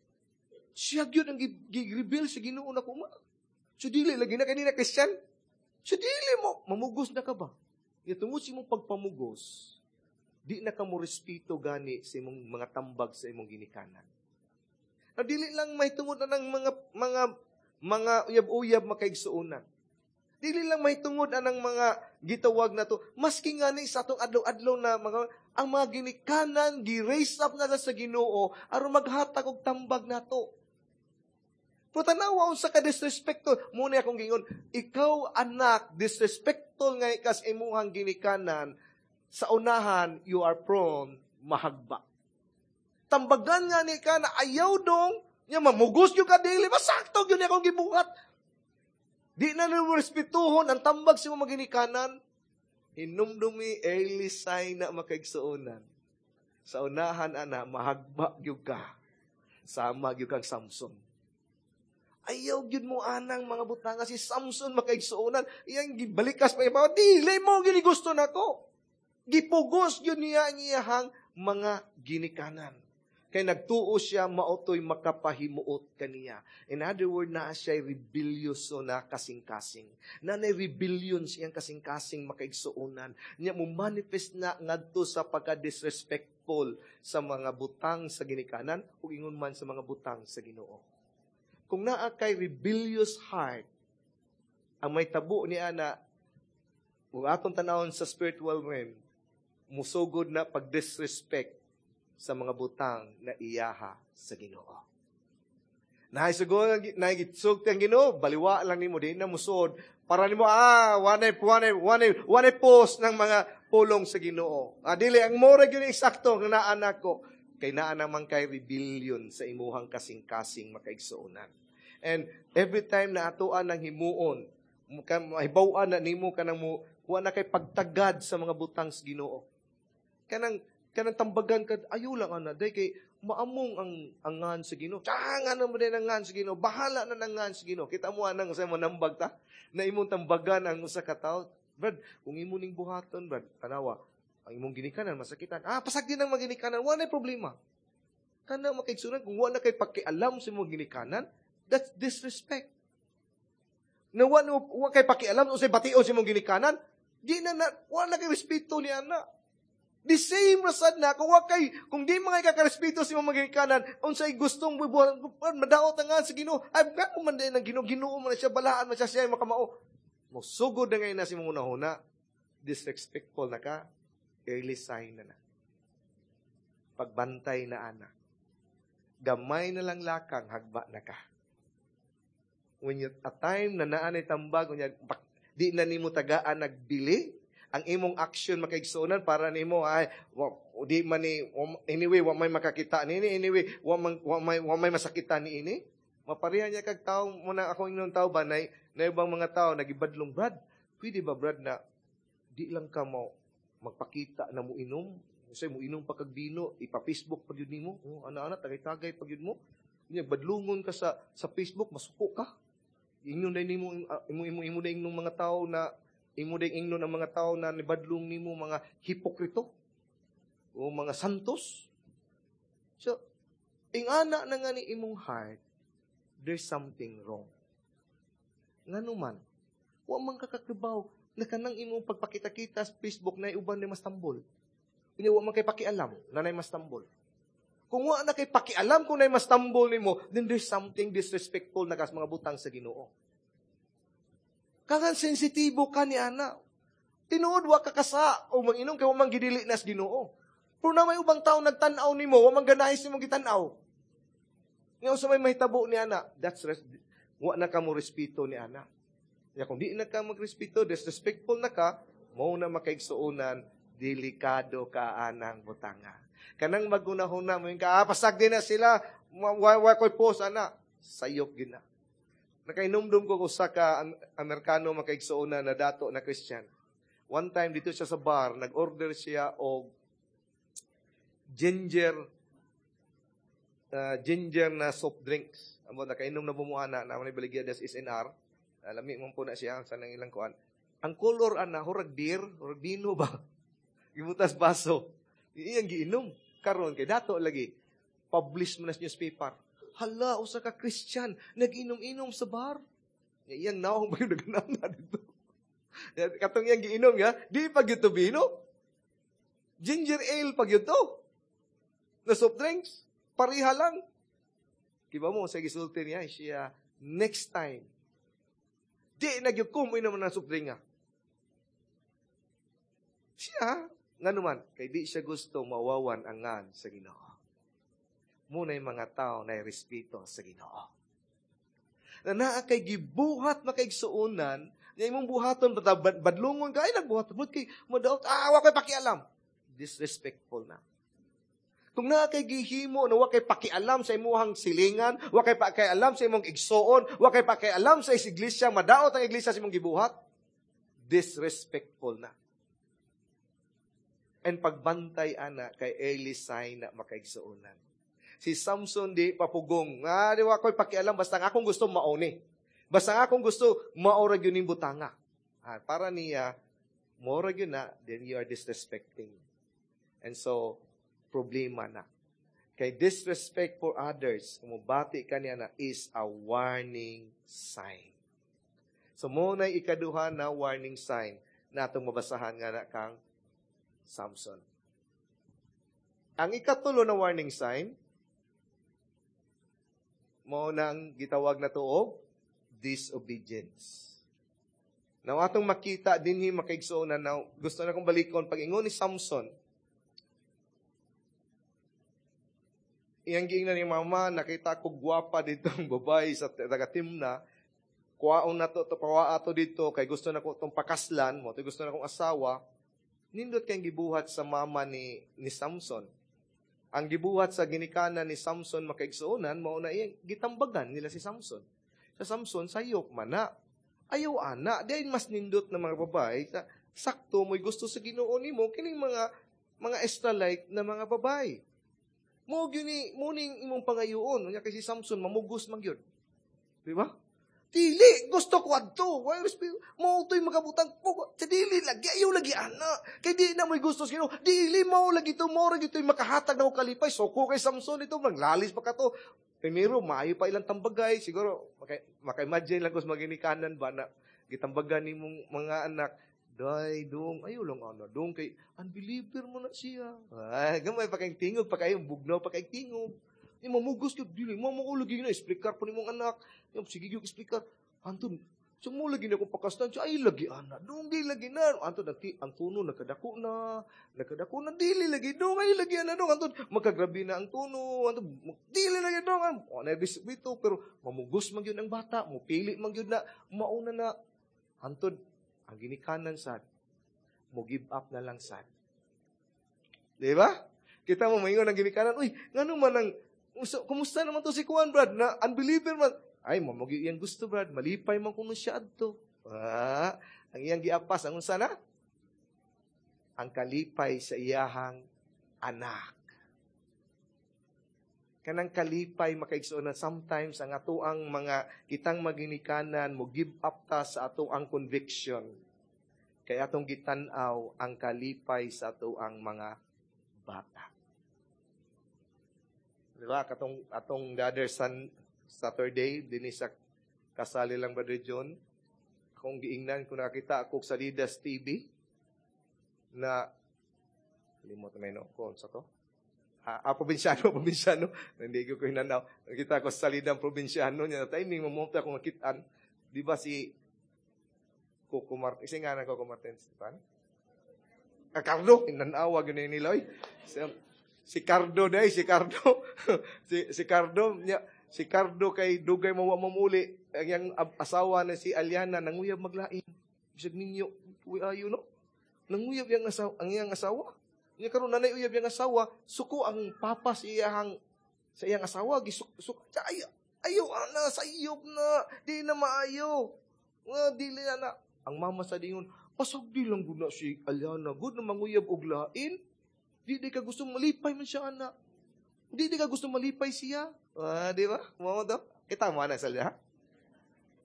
Siya gyud ang gi-reveal sa Ginoo nako ma. Sa dili lagi na kanina Kristiyan. Sa dili mo, mamugos na ka ba? Ya tungod sa imong pagpamugos, di na ka mo respeto gani sa imong mga tambag sa imong ginikanan. Na dili lang may tungod na ng mga mga mga uyab-uyab, makaigsuonan. Dili lang may tungod anang mga gitawag na to. Maski nga ni sa atong adlaw-adlaw na mga ang mga ginikanan gi-raise up na sa Ginoo aron maghatag og tambag nato. Pero tanawa unsa ka disrespectful. Muna akong gingon, ikaw anak, disrespectful nga ikas imuhang ginikanan, sa unahan, you are prone mahagba. Tambagan nga ni ka na ayaw dong, nya mamugos gyud ka dili, masakto gyud akong gibuhat. Di na nimo respetuhon ang tambag sa imong ginikanan. Hinumdumi early sign na makaigsuonan. Sa unahan ana mahagba gyud ka. Sama gyud kang Samson. Ayaw gyud mo anang mga butanga si Samson makaigsuonan. Iyang gibalikas pa iba. Dili mo gini gusto nako. Gipugos gyud niya ang iyahang mga ginikanan. Kay nagtuo siya maotoy makapahimuot kaniya. In other word, naa siya rebellious na kasing-kasing. Na na rebellion siyang kasing-kasing makaigsuonan. Nya mo manifest na ngadto sa pagka-disrespectful sa mga butang sa ginikanan ug ingon man sa mga butang sa Ginoo. Kung naa kay rebellious heart, ang may tabo ni ana, kung atong tanawon sa spiritual realm, musugod na pag-disrespect sa mga butang na iyaha sa Ginoo. Naay sugod naay gitsulti ang Ginoo, baliwa lang nimo di na musuod para nimo ah wanay wanay wanay wanay post ng mga pulong sa Ginoo. Ah, dili ang mora gyud eksakto nga naa nako kay naa naman kay rebellion sa imuhang kasing-kasing makaigsuonan. And every time na atoan ng himuon, mahibaw-an na nimo kanang mo wa na kay pagtagad sa mga butang sa Ginoo. Kanang kanang tambagan ka ayo lang ana day kay maamong ang angan sa Ginoo. Tsaka nga naman din ang ngan sa Ginoo. Bahala na nang ngan sa Ginoo. Kita mo anang sa manambag ta na imong tambagan ang usa ka tawo. Brad, kung imo ning buhaton, brad, tanawa, ang imong ginikanan masakitan. Ah, pasag din ang maginikanan, wala na problema. Kana makaigsunan kung wala kay pakialam sa imong ginikanan, that's disrespect. Na wa no wa kay pakialam unsay bation sa imong ginikanan, di na na wa na kay respeto ni ana. The same rasad na kung wa kay kung di mga kakarespeto sa imong ginikanan, unsay gustong bubuhat, madaot ang nga sa Ginoo. Ay gako man din ang Ginoo, Ginoo man na siya balaan man siya siya makamao. Mosugod na ngayon na sa imong hunahuna, disrespectful na ka, early sign na na. Pagbantay na ana. Gamay na lang lakang, hagba na ka. When you, a time na naa nay tambag, unya, di na nimo tagaan nagbili, ang imong action makaigsuonan para nimo ay wa, di man ni anyway wa may makakita nini anyway wa man wa may wa may masakitan ni ini mapareha niya kag tao mo na ako ingnon tao ba nay na ibang mga tao nagibadlong brad pwede ba brad na di lang ka mo magpakita na mo inom Kasi mo inom pa kag bino, ipa-Facebook pa gyud nimo. Oh, ana-ana tagay-tagay pa gyud mo. Nya badlungon ka sa sa Facebook, masuko ka. Ingnon day nimo imo imo imo day ingnon mga tao na imo day ingnon ang mga tao na nibadlong nimo mga hipokrito o mga santos. So, ingana na nga ni imong heart, there's something wrong. Ngano man, wa man kakakibaw na kanang imong pagpakita-kita sa Facebook na uban ni mas tambol. Unya wa man kay pakialam na nay mas tambol. Kung wa na kay pakialam kung nay mas tambol nimo, then there's something disrespectful na kas mga butang sa Ginoo. Kangan sensitibo ka ni ana. Tinuod wa ka kasa o manginom kay wa man gidili na sa Ginoo. Pero na may ubang tao nagtan-aw nimo, wa man ganahi sa imong gitan-aw. Nga sa may mahitabo ni ana, that's res- wa na ka mo respeto ni ana. Ya kung di na ka magrespeto, disrespectful na ka, mao na makaigsuonan, delikado ka anang butanga. Kanang magunahuna mo ka, ah, pasag din na sila, wa, wa ko'y post, ana, sayop gid na. Nakainumdum ko usa ka Amerikano makaigsuonan na dato na Christian. One time dito siya sa bar, nag-order siya og ginger uh, ginger na soft drinks. Amo nakainom na bumuana na may baligya des SNR. Lami man po na siya sa nang ilang kuan. Ang color ana hurag beer, hurag bino ba? Gibutas baso. Iyang giinom karon kay dato lagi publish mo na sa newspaper. Hala, usa ka Christian nag-inom-inom sa bar. Iyang naong ba yung naganam na dito? Katong iyang giinom ya, di pa gyud to bino. Ginger ale pa gyud to. Na soft drinks. Pareha lang. Kiba mo, sa gisulti niya, siya, next time, Di na gyud ko moinom ng soft drink. Siya, nga naman, kay di siya gusto mawawan ang ngan sa Ginoo. Muna yung mga tao na respeto sa Ginoo. Na naa kay gibuhat makaigsuonan, na imong buhaton, badlungon ka, ay nagbuhat, but kay madaot, ah, wa kay pakialam. Disrespectful na. Kung naa kay gihimo na wa kay pakialam sa imuhang silingan, wa kay pakialam sa imong igsuon, wa kay pakialam sa iglesia, madaot ang iglesia sa imong gibuhat, disrespectful na. And pagbantay ana kay early sign na makaigsuonan. Si Samson di papugong, nga di wa ko'y pakialam basta ang akong gusto mauni. Basta ang akong gusto maora gyud ning butanga. Ah, para niya maora gyud na, then you are disrespecting. And so problema na. Kay disrespect for others, kung mubati ka niya na, is a warning sign. So, mo na ikaduha na warning sign na atong mabasahan nga na kang Samson. Ang ikatulo na warning sign, mo na ang gitawag na tuog, disobedience. Now, atong makita dinhi makaigsuonan now, gusto na kong balikon, pag ingon ni Samson, iyang giingnan ni mama, nakita ko gwapa dito ang babae sa taga Timna, kuwaon na to, to pawa ato dito, kay gusto na ko itong pakaslan, mo, gusto na kong asawa, nindot kay gibuhat sa mama ni, ni Samson. Ang gibuhat sa ginikanan ni Samson makaigsuonan, mao na iyang gitambagan nila si Samson. Sa Samson, sayop man na. Ayaw ana, dahil mas nindot na mga babae, sa, sakto mo'y gusto sa Ginoo nimo kining mga mga Israelite na mga babae. Mo gyud ni mo ning imong pangayoon, unya kay si Samson mamugos man gyud. Di ba? Dili, gusto ko adto. Why respect? Mo to'y makabutang ko. Sa dili lagi ayaw lagi ana. Kay di na mo'y gusto sa Ginoo. Dili mo lagi to mo lagi to'y makahatag na kalipay. Soko kay Samson ito manglalis pa ka to. Primero, maayo pa ilang tambagay. Siguro, maka, maka-imagine lang ko sa maginikanan ba na gitambagan nimong mga anak. Day, dong, ayaw lang ana, dong, kay unbeliever mo na siya. Ay, gamay pa kayong tingog, pa kayong bugnaw, pa kayong tingog. Ni mamugos ka, dili, mo mo lagi na, explicar po ni mong anak. Yung, sige yung explicar. Anton, so mo lagi na akong pakastan, siya, ay lagi ana, dong, di lagi na. Anton, nagti, ang tuno, nagkadako na, nagkadako na, dili lagi, dong, ay lagi ana, dong, anton, magkagrabi na ang tuno, anton, dili lagi, dong, o, na ito, pero mamugos man yun ang bata, mupili man yun na, mauna na, anton, ang ginikanan sad, mo give up na lang sad. Di ba? Kita mo, maingon ang ginikanan, uy, ngano man ang, kumusta naman to si Kuan, Brad, na unbeliever man. Ay, mamagi iyang gusto, Brad, malipay man kuno siya adto. Ah, ang iyang giapas, ang unsa na? Ang kalipay sa iyahang anak. Kanang kalipay makaigsuonan na sometimes ang atoang mga kitang maginikanan mo give up ta sa atoang conviction. Kay atong gitan-aw ang kalipay sa atoang mga bata. Di ba? Katong atong the other sun, Saturday, dinhi sa kasali lang Brother John, akong giingnan kung nakita ako sa Lidas T V na limot na no, ko sa to. Ah, ah, probinsyano, probinsyano. Hindi ko hinanaw. Nakita ko sa Salidang probinsyano niya. Timing, mamunta akong nakitaan. Di ba si Coco Martin? Kasi nga na Coco Martin. Paano? Ah, Cardo. Hinanawa, ganyan nila. Oy. Si, si Cardo day, si Cardo. si, si Cardo, niya, si Cardo kay dugay mawa mamuli. Ang iyang asawa na si Aliana, nanguyab maglain. Bisag ninyo, uy, ayo no? Nanguyab yang asawa, ang iyang asawa. Nya karon nanay uyab yang asawa, suko ang papa sa iyang sa iyang asawa gisuk suk ay, ayo ana sa iyob na di na maayo. Nga dili na na. Ang mama sa dingon, pasag di lang gud na si Aliana, gud na manguyab og lain. Di di ka gusto malipay man siya ana. Di di ka gusto malipay siya. Ah, di ba? Mao to. Kita mo ana sa liya.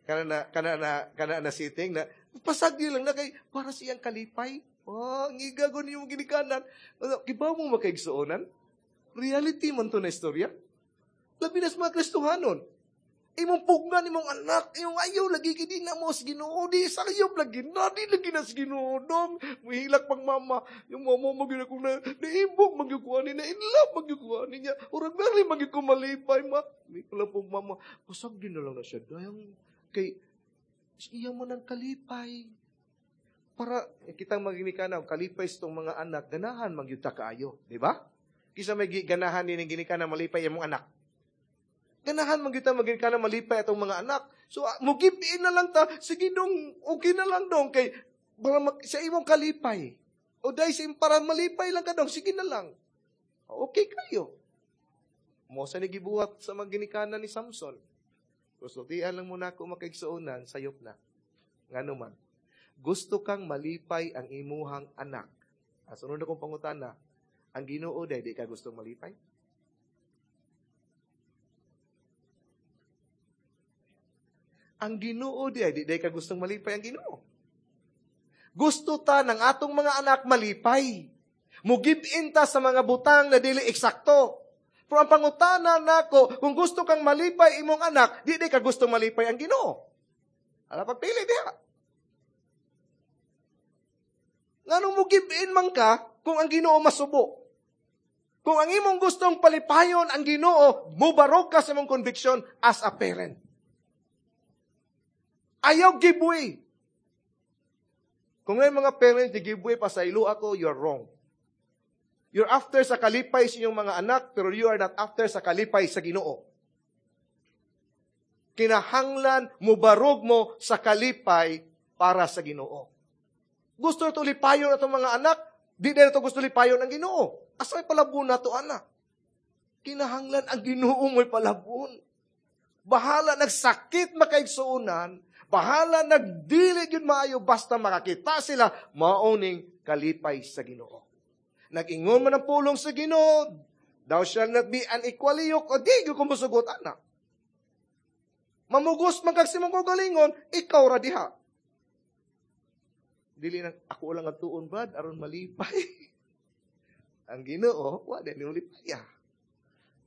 Kana na kana na kana na sitting na pasag di lang na kay para siyang kalipay. Oh, ang igago niyo ginikanan. Kibaw mo makaigsuonan? Reality man to na istorya. Labi na sa mga Kristohanon. Imong pugnan, imong anak, imong ayaw, lagi kay di na mo sa Ginoo, di sayop lagi na, di lagi na sa Ginoo, dong. Muhilak pang mama, yung mama mo ginakong na, naibog, magyukuha ni na, in love, magyukuha niya. Urag meri, magyukuha malipay, ma. Hindi ko lang pong mama, pasag din na lang na siya. Dahil kay, Iya mo ng kalipay. Para eh, kitang maginikanan, kalipay sa itong mga anak, ganahan man gyud ta kaayo, di ba? Kisa may ganahan din ginikanan malipay imong anak. Ganahan man gyud ta maginikanan malipay atong mga anak. So uh, mo give in na lang ta, sige dong, okay na lang dong kay para mag, sa imong kalipay. O dahil sa para malipay lang ka dong, sige na lang. Okay kayo. Mo sa gibuhat sa mga ginikanan ni Samson. Sultian lang muna ako makaigsuonan, sayop na. Ngano man. Gusto kang malipay ang imuhang anak. Ah, sunod akong pangutana, ang Ginoo day di ka gustong malipay? Ang Ginoo day di day ka gustong malipay ang Ginoo. Gusto ta ng atong mga anak malipay. Mo-give in ta sa mga butang na dili eksakto. Pero ang pangutana nako, kung gusto kang malipay imong anak, di di ka gustong malipay ang Ginoo. Ala pagpili diha. Nganong mo give in man ka kung ang Ginoo masubo? Kung ang imong gustong palipayon ang Ginoo, mubarog ka sa imong conviction as a parent. Ayaw give way. Kung may mga parents di give way pa sa ilo ako, you're wrong. You're after sa kalipay sa inyong mga anak, pero you are not after sa kalipay sa Ginoo. Kinahanglan mubarog mo sa kalipay para sa Ginoo. Gusto ito lipayon atong mga anak, di na ito gusto lipayon ang Ginoo. Asa may palabon na ito, anak? Kinahanglan ang Ginoo mo'y palabon. Bahala nagsakit makaigsuonan, bahala nagdili gyud maayo basta makakita sila maoning kalipay sa Ginoo. Nag-ingon man ang pulong sa Ginoo, thou shall not be unequally yoked, o di gyud ko mosugot anak. Mamugos man kag simong kaugalingon, ikaw ra diha. Dili nang ako lang ang tuon brad aron malipay. Ang Ginoo wa din lipay.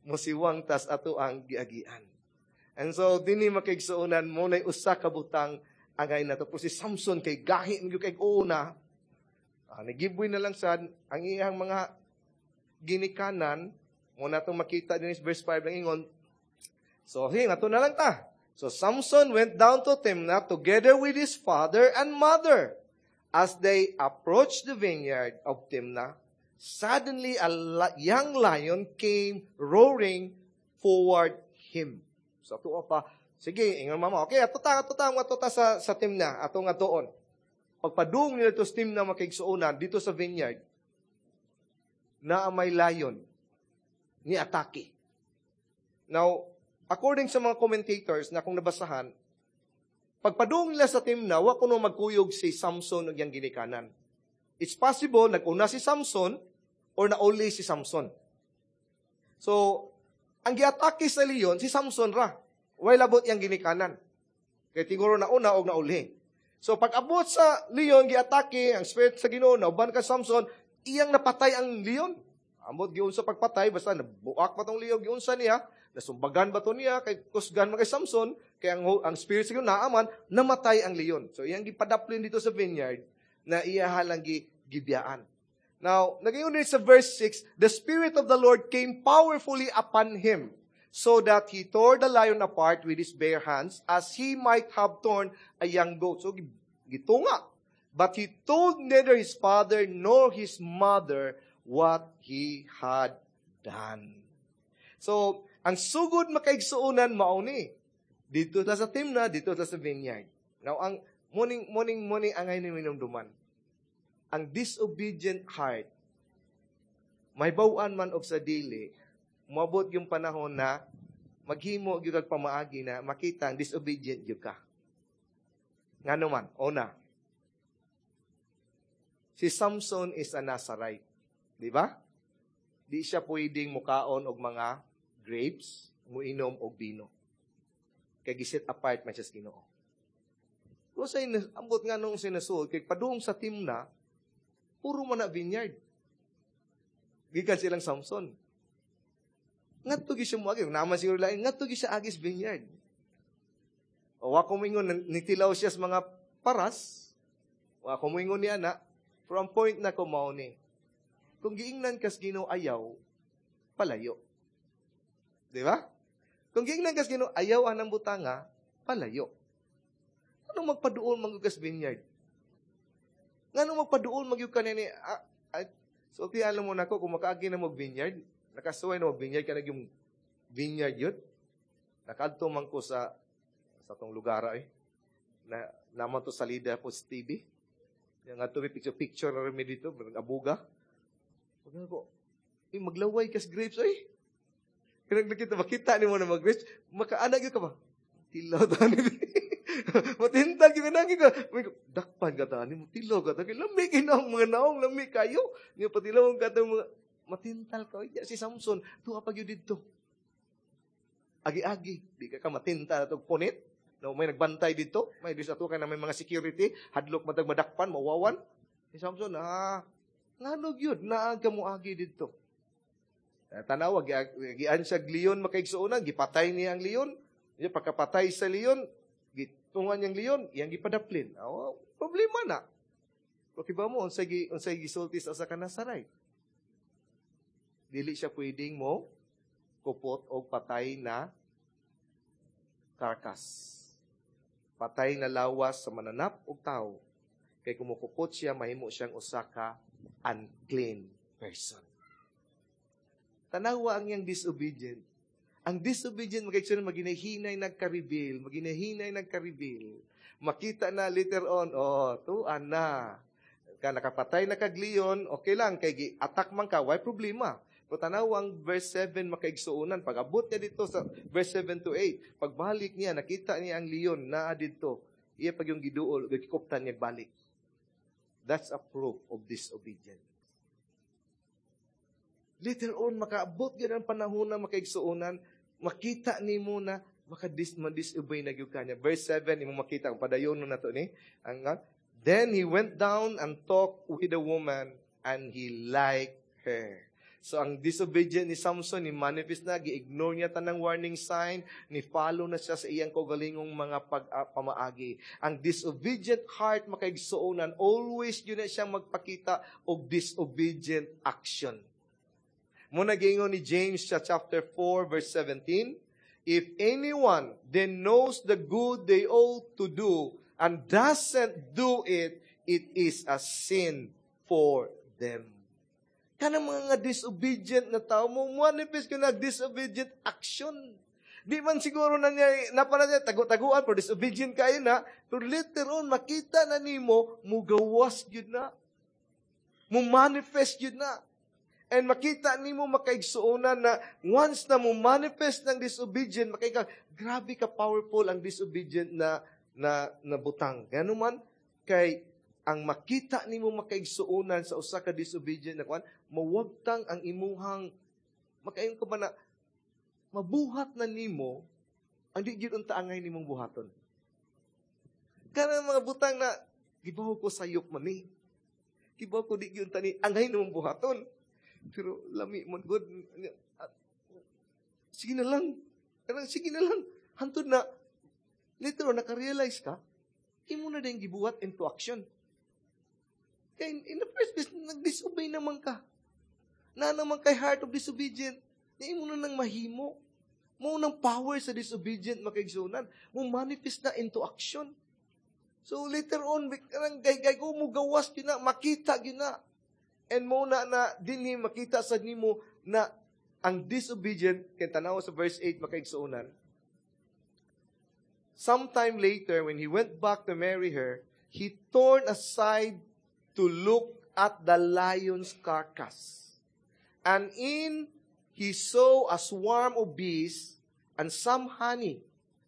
Musiwang tas ato ang giagian. And so dinhi makigsuonan mo nay usa ka butang angay nato. Pero si Samson kay gahi gyud kay una. Ah, nagibwi na lang sad ang iyang mga ginikanan mo natong makita din is verse five lang ingon. So hey, ato na lang ta. So Samson went down to Timnah together with his father and mother. As they approached the vineyard of Timnah, suddenly a young lion came roaring forward him. So ato pa, sige, ingon mama, okay, ato ta, ato ta, ato ta sa, sa Timnah, ato nga doon. Pagpadung nila ito sa Timnah makigsuonan, dito sa vineyard, na may lion, ni atake. Now, according sa mga commentators na kung nabasahan, pagpadung nila sa Timnah, wa kuno magkuyog si Samson ug iyang ginikanan. It's possible, nag-una si Samson or nauli si Samson. So, ang giatake sa leon, si Samson ra. Way labot iyang ginikanan. Kay tiguro nauna og nauli. So, pag-abot sa leon, giatake, ang spirit sa Ginoo, nauban ka Samson, iyang napatay ang leon. Amot giunsa pagpatay, basta nabuak pa tong leon, giunsa niya, nasumbagan ba to niya, kay kusgan man kay Samson, kay ang, ang spirit sa Ginoo naaman, namatay ang leon. So, iyang gipadaplin dito sa vineyard, na iya halang gibiyaan. Now, nagayon din sa verse six, the Spirit of the Lord came powerfully upon him, so that he tore the lion apart with his bare hands, as he might have torn a young goat. So, gitunga. But he told neither his father nor his mother what he had done. So, ang sugod makaigsuonan mauni. Dito ta sa Timnah, dito ta sa vineyard. Now, ang morning, morning, morning, angay ni minumduman. Ang disobedient heart, may bawaan man og sa dili, moabot yung panahon na maghimo gyud kag pamaagi na makita ang disobedient gyud ka. Ngano man, una, si Samson is a Nazarite. Di ba? Di siya pwedeng mukaon og mga grapes, muinom og bino. Kay giset apart man siya sa Ginoo. Pero sa ambot nga nung sinasuod, kay padung sa Timnah, puro man na vineyard. Gikan silang Samson. Ngadto gyud siya moagi, naman siguro lain, ngadto gyud siya agis vineyard. O wa ko moingon nitilaw siya sa mga paras. Wa ko moingon niya na from point na ko mao ni. Kung giingnan kas Ginoo ayaw, palayo. Di ba? Kung giingnan kas Ginoo ayaw anang butanga, palayo. Ngano magpaduol man gyud kas vineyard? Ngano magpaduol man gyud ka ni ah, ah, sultihan lang mo nako kung makaagi na mo vineyard, nakasuway na mo vineyard kana yung vineyard yun. Nakadto man ko sa sa tong lugar eh. Na naman to salida po sa T V. Yung nga may picture picture na rin dito, abuga. Pag ko, eh, maglaway kas grapes ay. Kaya nakita, makita ni mo na mag-grapes, makaana gyud ka ba? Tilaw tani. Matintal gyud ka ka. Dakpan ka tani mo tilaw ka tani. Lami kinaong mga naong lami kayo. Nga patilaw ka mga matintal ka. Si Samson, tuwa pa gyud didto. Agi-agi, di ka ka matintal atog punit. No, may nagbantay dito, may dis ato kay na may mga security, hadlok matag madakpan, mawawan. Si Samson, ah, ngano gyud naa ka moagi didto. Eh, tanawa, gian siya leon makaigsuonan, gipatay niya ang leon. Niya pagkapatay sa leon, gitungan niyang leon, iyang gipadaplin. Oh, problema na. Okay ba mo unsay gi unsay gisulti sa usa ka Nasaray? Dili siya pwedeng mo kupot og patay na carcass. Patay na lawas sa mananap og tao. Kay kumukupot siya, mahimo siyang usa ka unclean person. Tanawa ang iyang disobedient. Ang disobedient, magayon maginahinay nagka-rebel, maginahinay nagka-rebel. Makita na later on, oh, tuan na. Ka nakapatay na kag leon, okay lang, kay gi-attack man ka, why problema? Pero tanaw ang verse seven makaigsuonan. Pag abot niya dito sa verse seven to eight, pagbalik niya, nakita niya ang leon naa dito. Iya pag yung giduol, gikuptan niya balik. That's a proof of disobedience. Later on, makaabot gyud ang panahon na makaigsuonan, makita nimo na makadis ma-disobey na gyud kanya. Verse seven, imo makita ang padayon na to ni. Ang "Then he went down and talked with the woman and he liked her." So ang disobedient ni Samson ni manifest na, gi-ignore niya tanang warning sign, ni follow na siya sa iyang kaugalingong mga pag, uh, pamaagi. Ang disobedient heart makaigsuonan, always yun na siyang magpakita og disobedient action. Muna giingon ni James sa chapter four verse seventeen, "If anyone then knows the good they ought to do and doesn't do it, it is a sin for them." Kanang mga disobedient na tao mo, manifest ko na disobedient action. Di man siguro na niya, napala niya, tago-taguan, pero disobedient kayo na, pero later on, makita na nimo, mugawas yun na. Mo manifest yun na. And makita nimo makaigsuonan na once na mo manifest ng disobedient, makita, grabe ka powerful ang disobedient na na, na butang. Gano man, kay ang makita nimo makaigsuonan sa usa ka disobedient na kwan, mawagtang ang imuhang makaingon ka ba na mabuhat na nimo ang di gyud unta angay nimong buhaton. Kanang mga butang na gibaw ko sayop man ni. Gibaw ko di gyud unta ni angay nimong buhaton. Pero lami man gud. Sige na lang. Kanang sige na lang. Hantod na later on naka-realize ka, imo na din gibuhat into action. Kaya in, in the first place, nag-disobey naman ka. Na naman kay heart of disobedient. Na imo na nang mahimo. Mo nang power sa disobedient makaigsunan. Mo manifest na into action. So later on, kanang gay gay ko mo gawas gina, makita gina. And mo na na dinhi makita sa nimo na ang disobedient kay tanaw sa verse eight makaigsuonan. "Sometime later, when he went back to marry her, he turned aside to look at the lion's carcass. And in he saw a swarm of bees and some honey.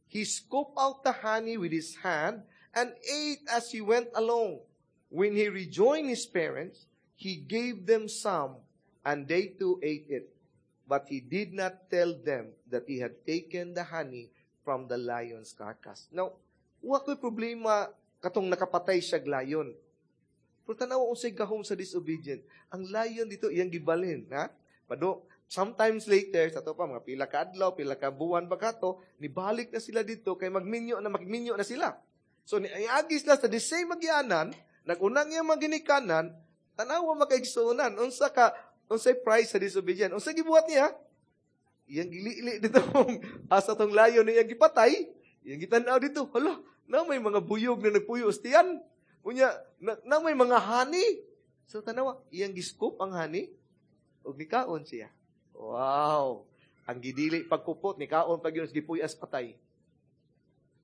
He scooped out the honey with his hand and ate as he went along. When he rejoined his parents, he gave them some, and they too ate it. But he did not tell them that he had taken the honey from the lion's carcass." Now, wa ko'y problema katong nakapatay siya lion. Pero tanaw unsay gahom sa disobedient. Ang lion dito iyang gibalhin, ha? Pado sometimes later sa to pa mga pila ka adlaw, pila ka buwan ba kato, nibalik na sila dito kay magminyo na magminyo na sila. So niagi sila sa the same magyanan, nagunang iyang maginikanan, tanawa makaigsuonan unsa ka unsay price sa disobedient. Unsa gibuhat niya? Iyang gilili dito asa tong lion iyang gipatay, iyang gitan-aw dito. Hala, Na may mga buyog na nagpuyo sa tiyan. Unya, na, na may mga honey. So tanawa, iyang gi-scoop ang honey ug nikaon siya. Wow. Ang gidili pagkupot nikaon pag yun gipuyas patay.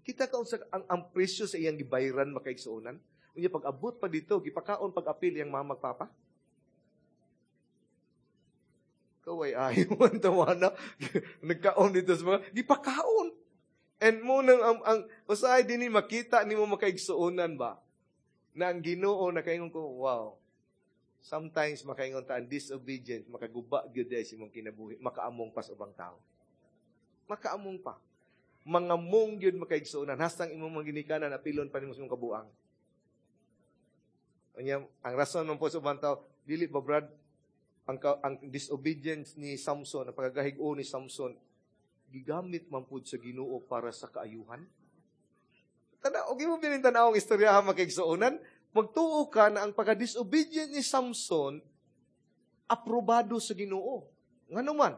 Kita ka unsa ang, ang presyo sa iyang gibayran makaigsuonan. Unya pag abot pa dito, gipakaon pag apil iyang mama papa. Kaway ayaw ang tawana. Nagkaon dito sa mga, gipakaon. And mo nang ang, ang usahay din ni makita nimo makaigsuonan ba? Na ang Ginoo nakaingon ko, wow. Sometimes makaingon ta ang disobedience makaguba gyud sa imong kinabuhi, makaamong pa sa ubang tao. Makaamong pa. Mangamong gyud makaigsuonan hastang imong mga ginikanan apilon pa nimo sa imong kabuang. Unya, ang rason man po sa ubang tao, dili ba Brad, ang, ang disobedience ni Samson, ang pagkagahig-o ni Samson, gigamit man pud sa Ginoo para sa kaayuhan. Tana, og imo binin tan-awong istorya ha makaigsuonan, magtuo ka na ang pagka-disobedient ni Samson aprobado sa Ginoo. Ngano man?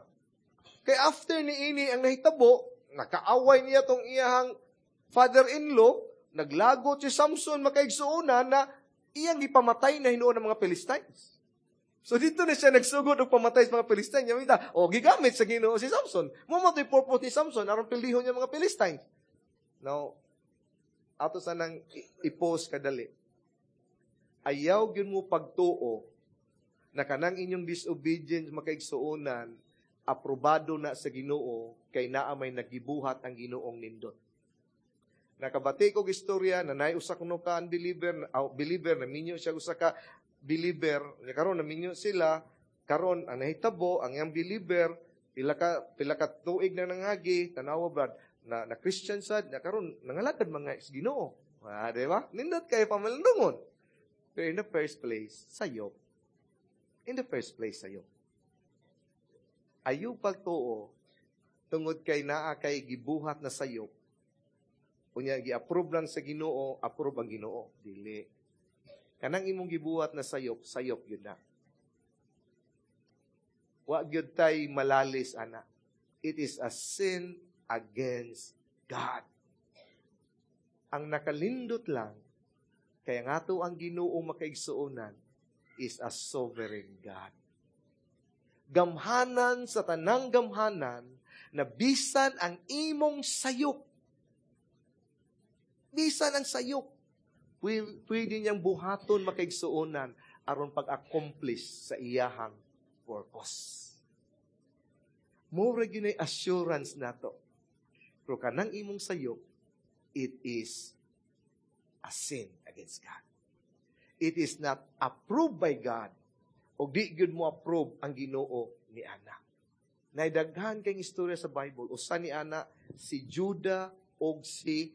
Kay after ni ini ang nahitabo, nakaaway niya tong iyahang father-in-law, naglagot si Samson makaigsuonan na iyang gipamatay na hinuon ng mga Philistines. So dito na siya nagsugod og pamatay sa mga Philistines. Niya mita, o gigamit sa Ginoo si Samson. Mo mo purpose ni Samson aron pildihon niya mga Philistines. Now, ato sa nang i-post kadali. Ayaw gyud mo pagtuo na kanang inyong disobedience makaigsuonan aprobado na sa Ginoo kay naa may nagibuhat ang Ginoong nindot. Nakabati ko istorya na naay usa kuno ka unbeliever, uh, believer na minyo siya usa ka believer, nya karon naminyo sila, karon ang nahitabo ang iyang believer pila ka pila ka tuig na nangagi, tanawa brad, na, na Christian sad, na karon nangalagad mga sa Ginoo. Ah, di ba? Nindot kay pamalandungon. Pero in the first place, sayop. In the first place, sayop. Ayaw pagtuo, tungod kay naa kay gibuhat na sayop, unya gi-approve lang sa Ginoo, approve ang Ginoo. Dili. Kanang imong gibuhat na sayop, sayop yun na. Wa gyud tay malalis ana. It is a sin against God. Ang nakalindot lang, kaya nga to ang Ginoo makaigsuonan is a sovereign God. Gamhanan sa tanang gamhanan na bisan ang imong sayop. Bisan ang sayop. Pwede niyang buhaton makaigsuonan aron pag-accomplish sa iyahang purpose. More gyud assurance nato. Pero kanang imong sayop, it is a sin against God. It is not approved by God. O di gyud mo approve ang Ginoo ni ana. Naidaghan kay istorya sa Bible usa ni ana si Judah og si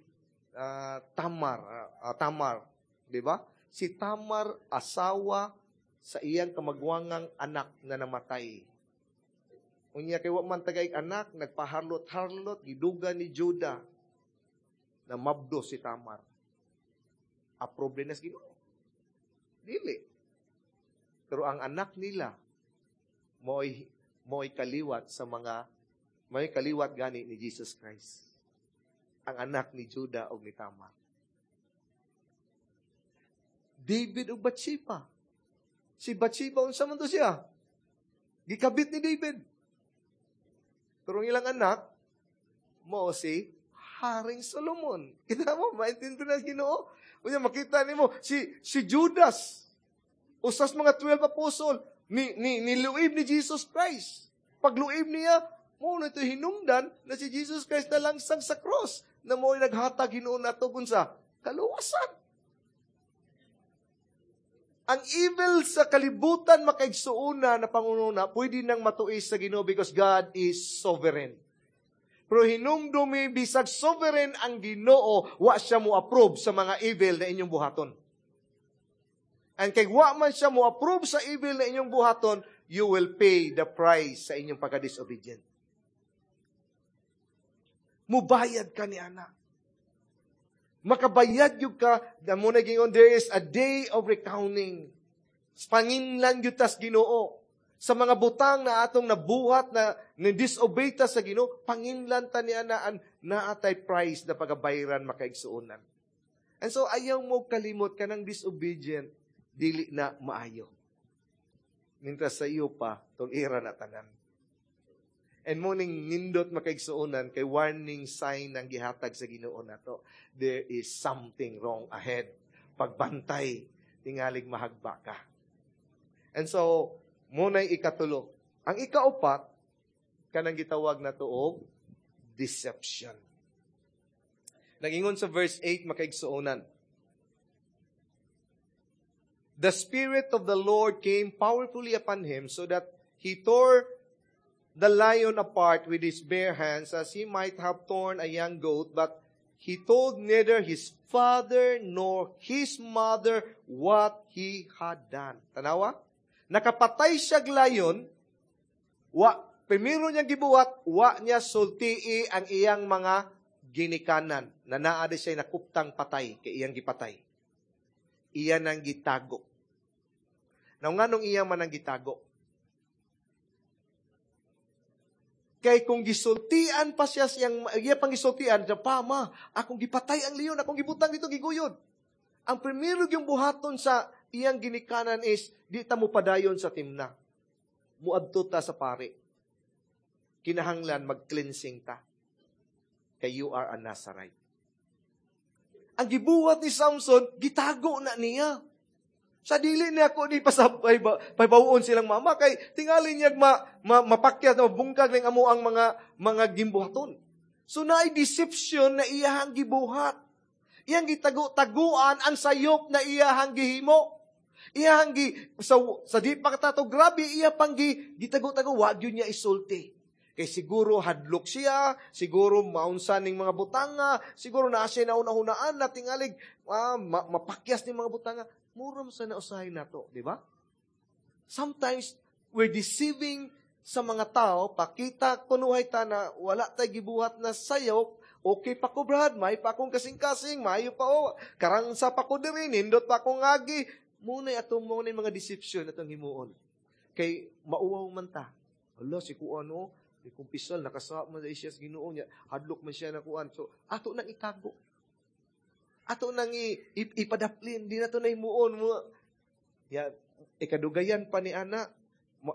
uh, Tamar, uh, Tamar, di ba? Si Tamar asawa sa iyang kamagwangang anak na namatay. Unya kay wa man tagay anak, nagpaharlot-harlot giduga ni Judah na mabdo si Tamar. Approve na sa Ginoo. Dili. Pero ang anak nila mo'y mo'y kaliwat sa mga mo'y kaliwat gani ni Jesus Christ. Ang anak ni Judah og ni Tamar. David ug Bathsheba. Si Bathsheba unsa man to siya? Gikabit ni David. Pero ang ilang anak mao si Haring Solomon. Kita mo, maintindihan na Ginoo. Unya makita nimo si si Judas usas mga twelve apostol ni ni niluib ni Jesus Christ. Pagluib niya, mo na ito hinungdan na si Jesus Christ na langsang sa cross na mo'y naghatag hinuon nato sa kaluwasan. Ang evil sa kalibutan makaigsuona na pangununa, pwede nang matuis sa Ginoo because God is sovereign. Pero hinumdumi bisag sovereign ang Ginoo, wa siya mo approve sa mga evil na inyong buhaton. And kay wa man siya mo approve sa evil na inyong buhaton, you will pay the price sa inyong pagka-disobedient. Mubayad ka ni ana. Makabayad yun ka, mo na gingon, there is a day of recounting. Panginlan yun tas Ginoo. Sa mga butang na atong nabuhat na ni-disobey ta sa Ginoo, panginlan ta ni ana an naatay price na pagabayaran makaigsuonan. And so ayaw mo kalimot kanang disobedient, dili na maayo. Mientras sa iyo pa, tulira na tanan. And mao ning nindot, makaigsuonan, kay warning sign ang gihatag sa Ginoo nato. There is something wrong ahead. Pagbantay, tingalig mahagba ka. And so, mao na'y ikatulo. Ang ikaupat, kanang gitawag nato og deception. Nagingon sa verse eight, makaigsuonan, "The Spirit of the Lord came powerfully upon him so that he tore the lion apart with his bare hands as he might have torn a young goat, but he told neither his father nor his mother what he had done." Tanawa? Nakapatay siya lion, wa, primero niyang gibuhat, wa niya sultii ang iyang mga ginikanan, na naa di siya nakuptang patay, kay iyang gipatay. Iya nang gitago. Now, nganong iya man ang gitago? Kay kung gisultian pa siya siyang, iya pang gisultian, siya, "Pa, ma, akong gipatay ang leon, akong gibutang dito, giguyod." Ang primero yung buhaton sa iyang ginikanan is, di ta mo padayon sa Timna. Muadto ta sa pari. Kinahanglan mag-cleansing ta. Kay you are a Nazarite. Ang gibuhat ni Samson, gitago na niya. Sa dili niya ako ni pasabay ba, pabawon silang mama kay tingali niya ma, ma, mapakyat na mabungkag ning amo ang mga mga gimbuhaton. So naay deception na iyahang gibuhat. Iyang gitago-taguan ang sayop na iyahang gihimo. Iyahang gi sa, sa di pa katato grabe iya pang gi, gitago-tago, wa gyud niya isulti. Kay siguro hadlok siya, siguro maunsa ning mga butanga, siguro naa siya nauna-hunaan na tingalig ah, ma- mapakyas ning mga butanga. Mura sa na usahay nato, di ba? Sometimes we're deceiving sa mga tao, pakita kunuhay ta na wala tay gibuhat na sayop, okay pa ko, brad, may pa akong kasing-kasing, maayo pa o, karangsa pa ko diri, nindot pa akong agi. Mao na atong mao mga deception atong himuon. Kay mauwaw man ta. Hala, si kuan o, di kumpisal, nakasama man siya sa Ginoo niya, hadlok man siya na kuan. So, ato nang itago. Ato nang i, ipadaplin, di na to na himuon mo. Ya, ikadugayan pa ni ana,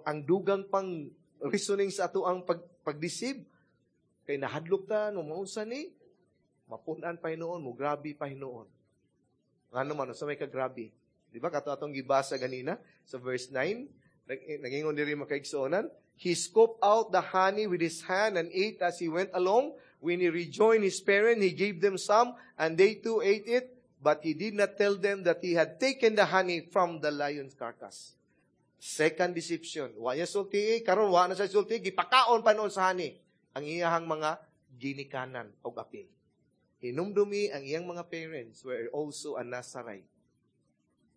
ang dugang pang reasoning sa ato ang pag, pag-deceive. Kay nahadlok ta, no maunsa ni, mapun-an pa hinuon, mo grabe pa hinuon. Ngano man, sa may kagrabe? Di ba, kato atong gibasa ganina, sa verse nine, nagingon diri, makaigsuonan, "He scooped out the honey with his hand and ate as he went along. When he rejoined his parents, he gave them some, and they too ate it. But he did not tell them that he had taken the honey from the lion's carcass." Second deception. Wa niya sulti, karon wa na siya sulti, gipakaon pa noon sa honey ang iyahang mga ginikanan og apil. Hinumdumi ang iyang mga parents were also a Nazarite.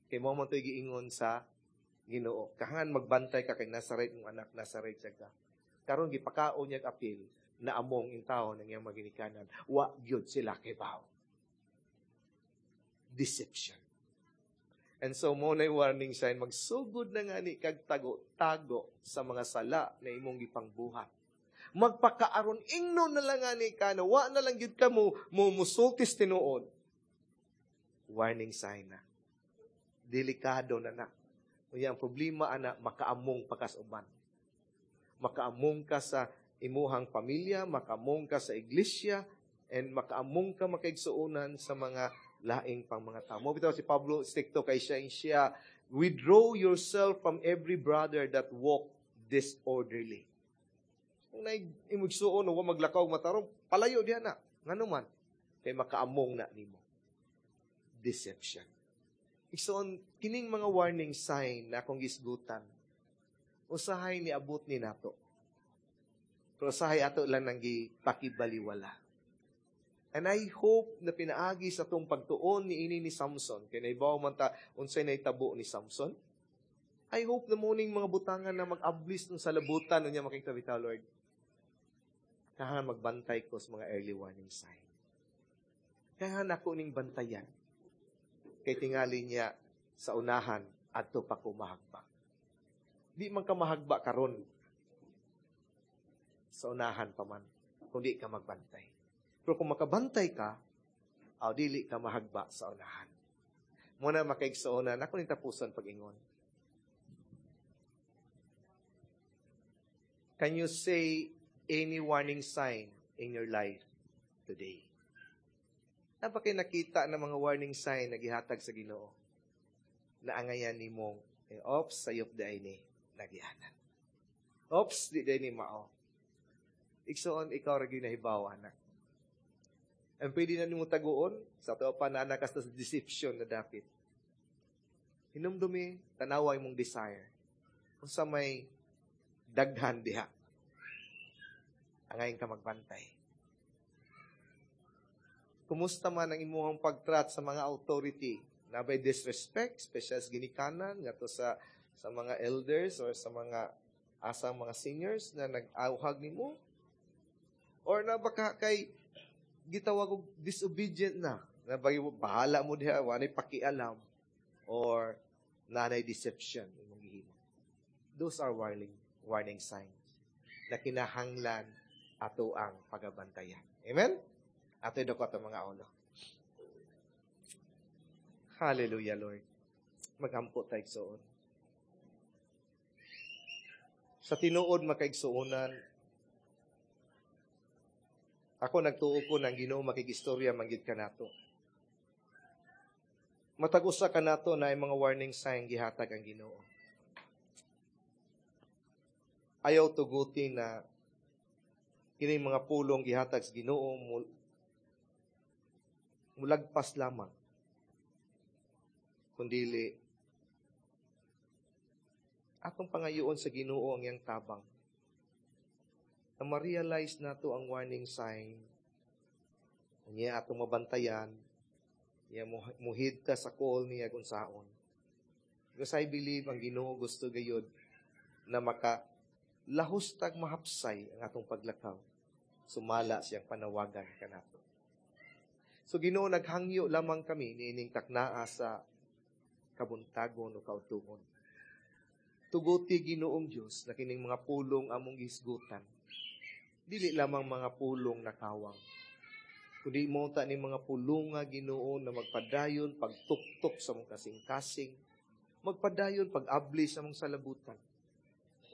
Kay mao man to'y giingon sa Ginoo. Kahangan magbantay ka kay Nazarite mong anak, Nazarite siya ka. Karon gipakaon niya apil na among intawon ng iyang mga ginikanan. Wa gyud sila kibaw. Deception. And so, mao na warning sign, magsugod na nga ni kag tago-tago sa mga sala na imong gipangbuhat. Magpakaaron ingno na lang nga ni ka na wa na lang gyud ka mo, mo musultis tinuod. Warning sign na. Delikado na na. Unya ang problema ana, makaamong pa ka sa uban. Makaamong ka sa imuhang pamilya, makaamong ka sa iglesia, and makaamong ka, makaigsuonan, sa mga laing pang mga tao. Mao bitaw si Pablo strikto kay siya siya, "Withdraw yourself from every brother that walk disorderly." Kung naay imugsuon o maglakaw matarong, palayo diha na. Ngano man? Kay makaamong na nimo. Deception. Igsoon, kining mga warning sign na akong gisgutan, usahay ni abot ni nato. Pero usahay ato lang nang gipakibaliwala. And I hope na pinaagi sa atong pagtuon ni ini ni Samson, kay naibaw man ta unsay nahitabo ni Samson. I hope na mao ning mga butangan na mag-ablis sa labutan unya makita bitaw, "Lord. Kahan magbantay ko sa mga early warning sign. Kahan ako ning bantayan. Kay tingali niya sa unahan adto pa ko mahagba." Di man ka mahagba karon, sa unahan pa man kung di ka magbantay. Pero kung makabantay ka, Aw dili ka mahagba sa unahan. Muna makaigsuonan, ako ning tapuson pag-ingon. Can you say any warning sign in your life today? Naa ba kay nakita na mga warning sign na gihatag sa Ginoo? Na angayan nimong, eh, ops, sayop diay ni nagianan. Ops, di diay ni mao. Igsoon, ikaw ra gyud nahibaw, anak. Ang pwede na nimo taguon, sa ato pa na anak sa deception na dapit. Hinumdumi, tanawa imong desire. Unsa may daghan diha. Angayin ka magbantay. Kumusta man ang imuhang pagtrat sa mga authority? Naa bay disrespect, special sa ginikanan, ngadto sa sa mga elders or sa mga asang mga seniors na nag-awhag nimo? Or na baka kay gitawag og disobedient na, na bahala mo diha, walay pakialam, or nanay deception imong gihimo. Those are warning warning signs na kinahanglan ato ang pagabantayan. Amen? Ato dako ato mga ulo. Hallelujah, Lord. Magampo tayo igsuon. Sa tinuod makaigsuonan, ako nagtuo ko ng Ginoo makigistorya manggid kanato. Matag usa kanato na mga warning sign gihatag ang Ginoo. Ayaw tuguti na kini mga pulong gihatag sa Ginoo mulagpas lamang. Kundili atong pangayoon sa Ginoo ang iyang tabang. Na ma-realize nato ang warning sign. Unya atong mabantayan, niya muhid ta sa call niya kung saon. Because I believe ang Ginoo gusto gayud na maka lahos tag mahapsay ang atong paglakaw. Sumala siyang panawagan kanato. So Ginoo, naghangyo lamang kami niining taknaa sa kabuntagon o kaudtungon. Tuguti Ginoong Dios na kining mga pulong among gihisgutan. Dili lamang mga pulong na kawang. Kundi mo ta ni mga pulunga Ginoo na magpadayon pagtuktok sa mong kasing-kasing, magpadayon pag-abli sa mong salabutan.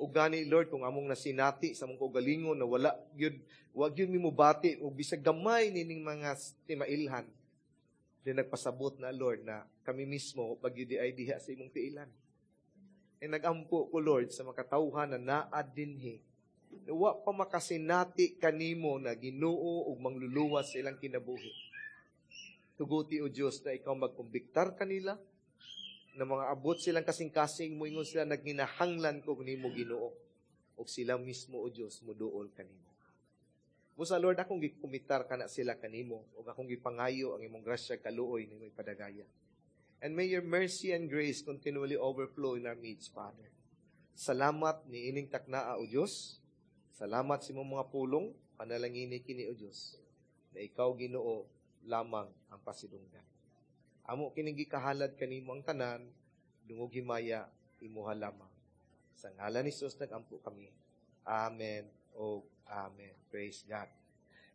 O gani Lord kung among nasinati sa among kaugalingon na wala gyud wa gyud mi mobati og bisag gamay nining mga timailhan. Di nagpasabot na Lord na kami mismo pag ay diha sa imong tiilan. E nagampo ko Lord sa makatawhan na naa dinhi. Wa pa makasinati kanimo na Ginoo ug mangluluwas sa ilang kinabuhi. Tuguti o Dios na ikaw magkumbiktar kanila na mga abot silang kasing-kasing moingon sila nagginahanglan ko nimo Ginoo ug sila mismo o Dios muduol kanimo. Busa Lord akong gikumitar kana sila kanimo ug akong gipangayo ang imong grasya kaluoy nimo ipadagaya. And may your mercy and grace continually overflow in our midst, Father. Salamat ni ining taknaa o Dios. Salamat sa imong mga pulong, panalangini kini o Dios, na ikaw Ginoo lamang ang pasidunggan. Amo kining gikahalad kanimo ang tanan, dungog himaya imuha lamang. Sa ngalan ni Jesus nagampo kami. Amen o amen. Praise God.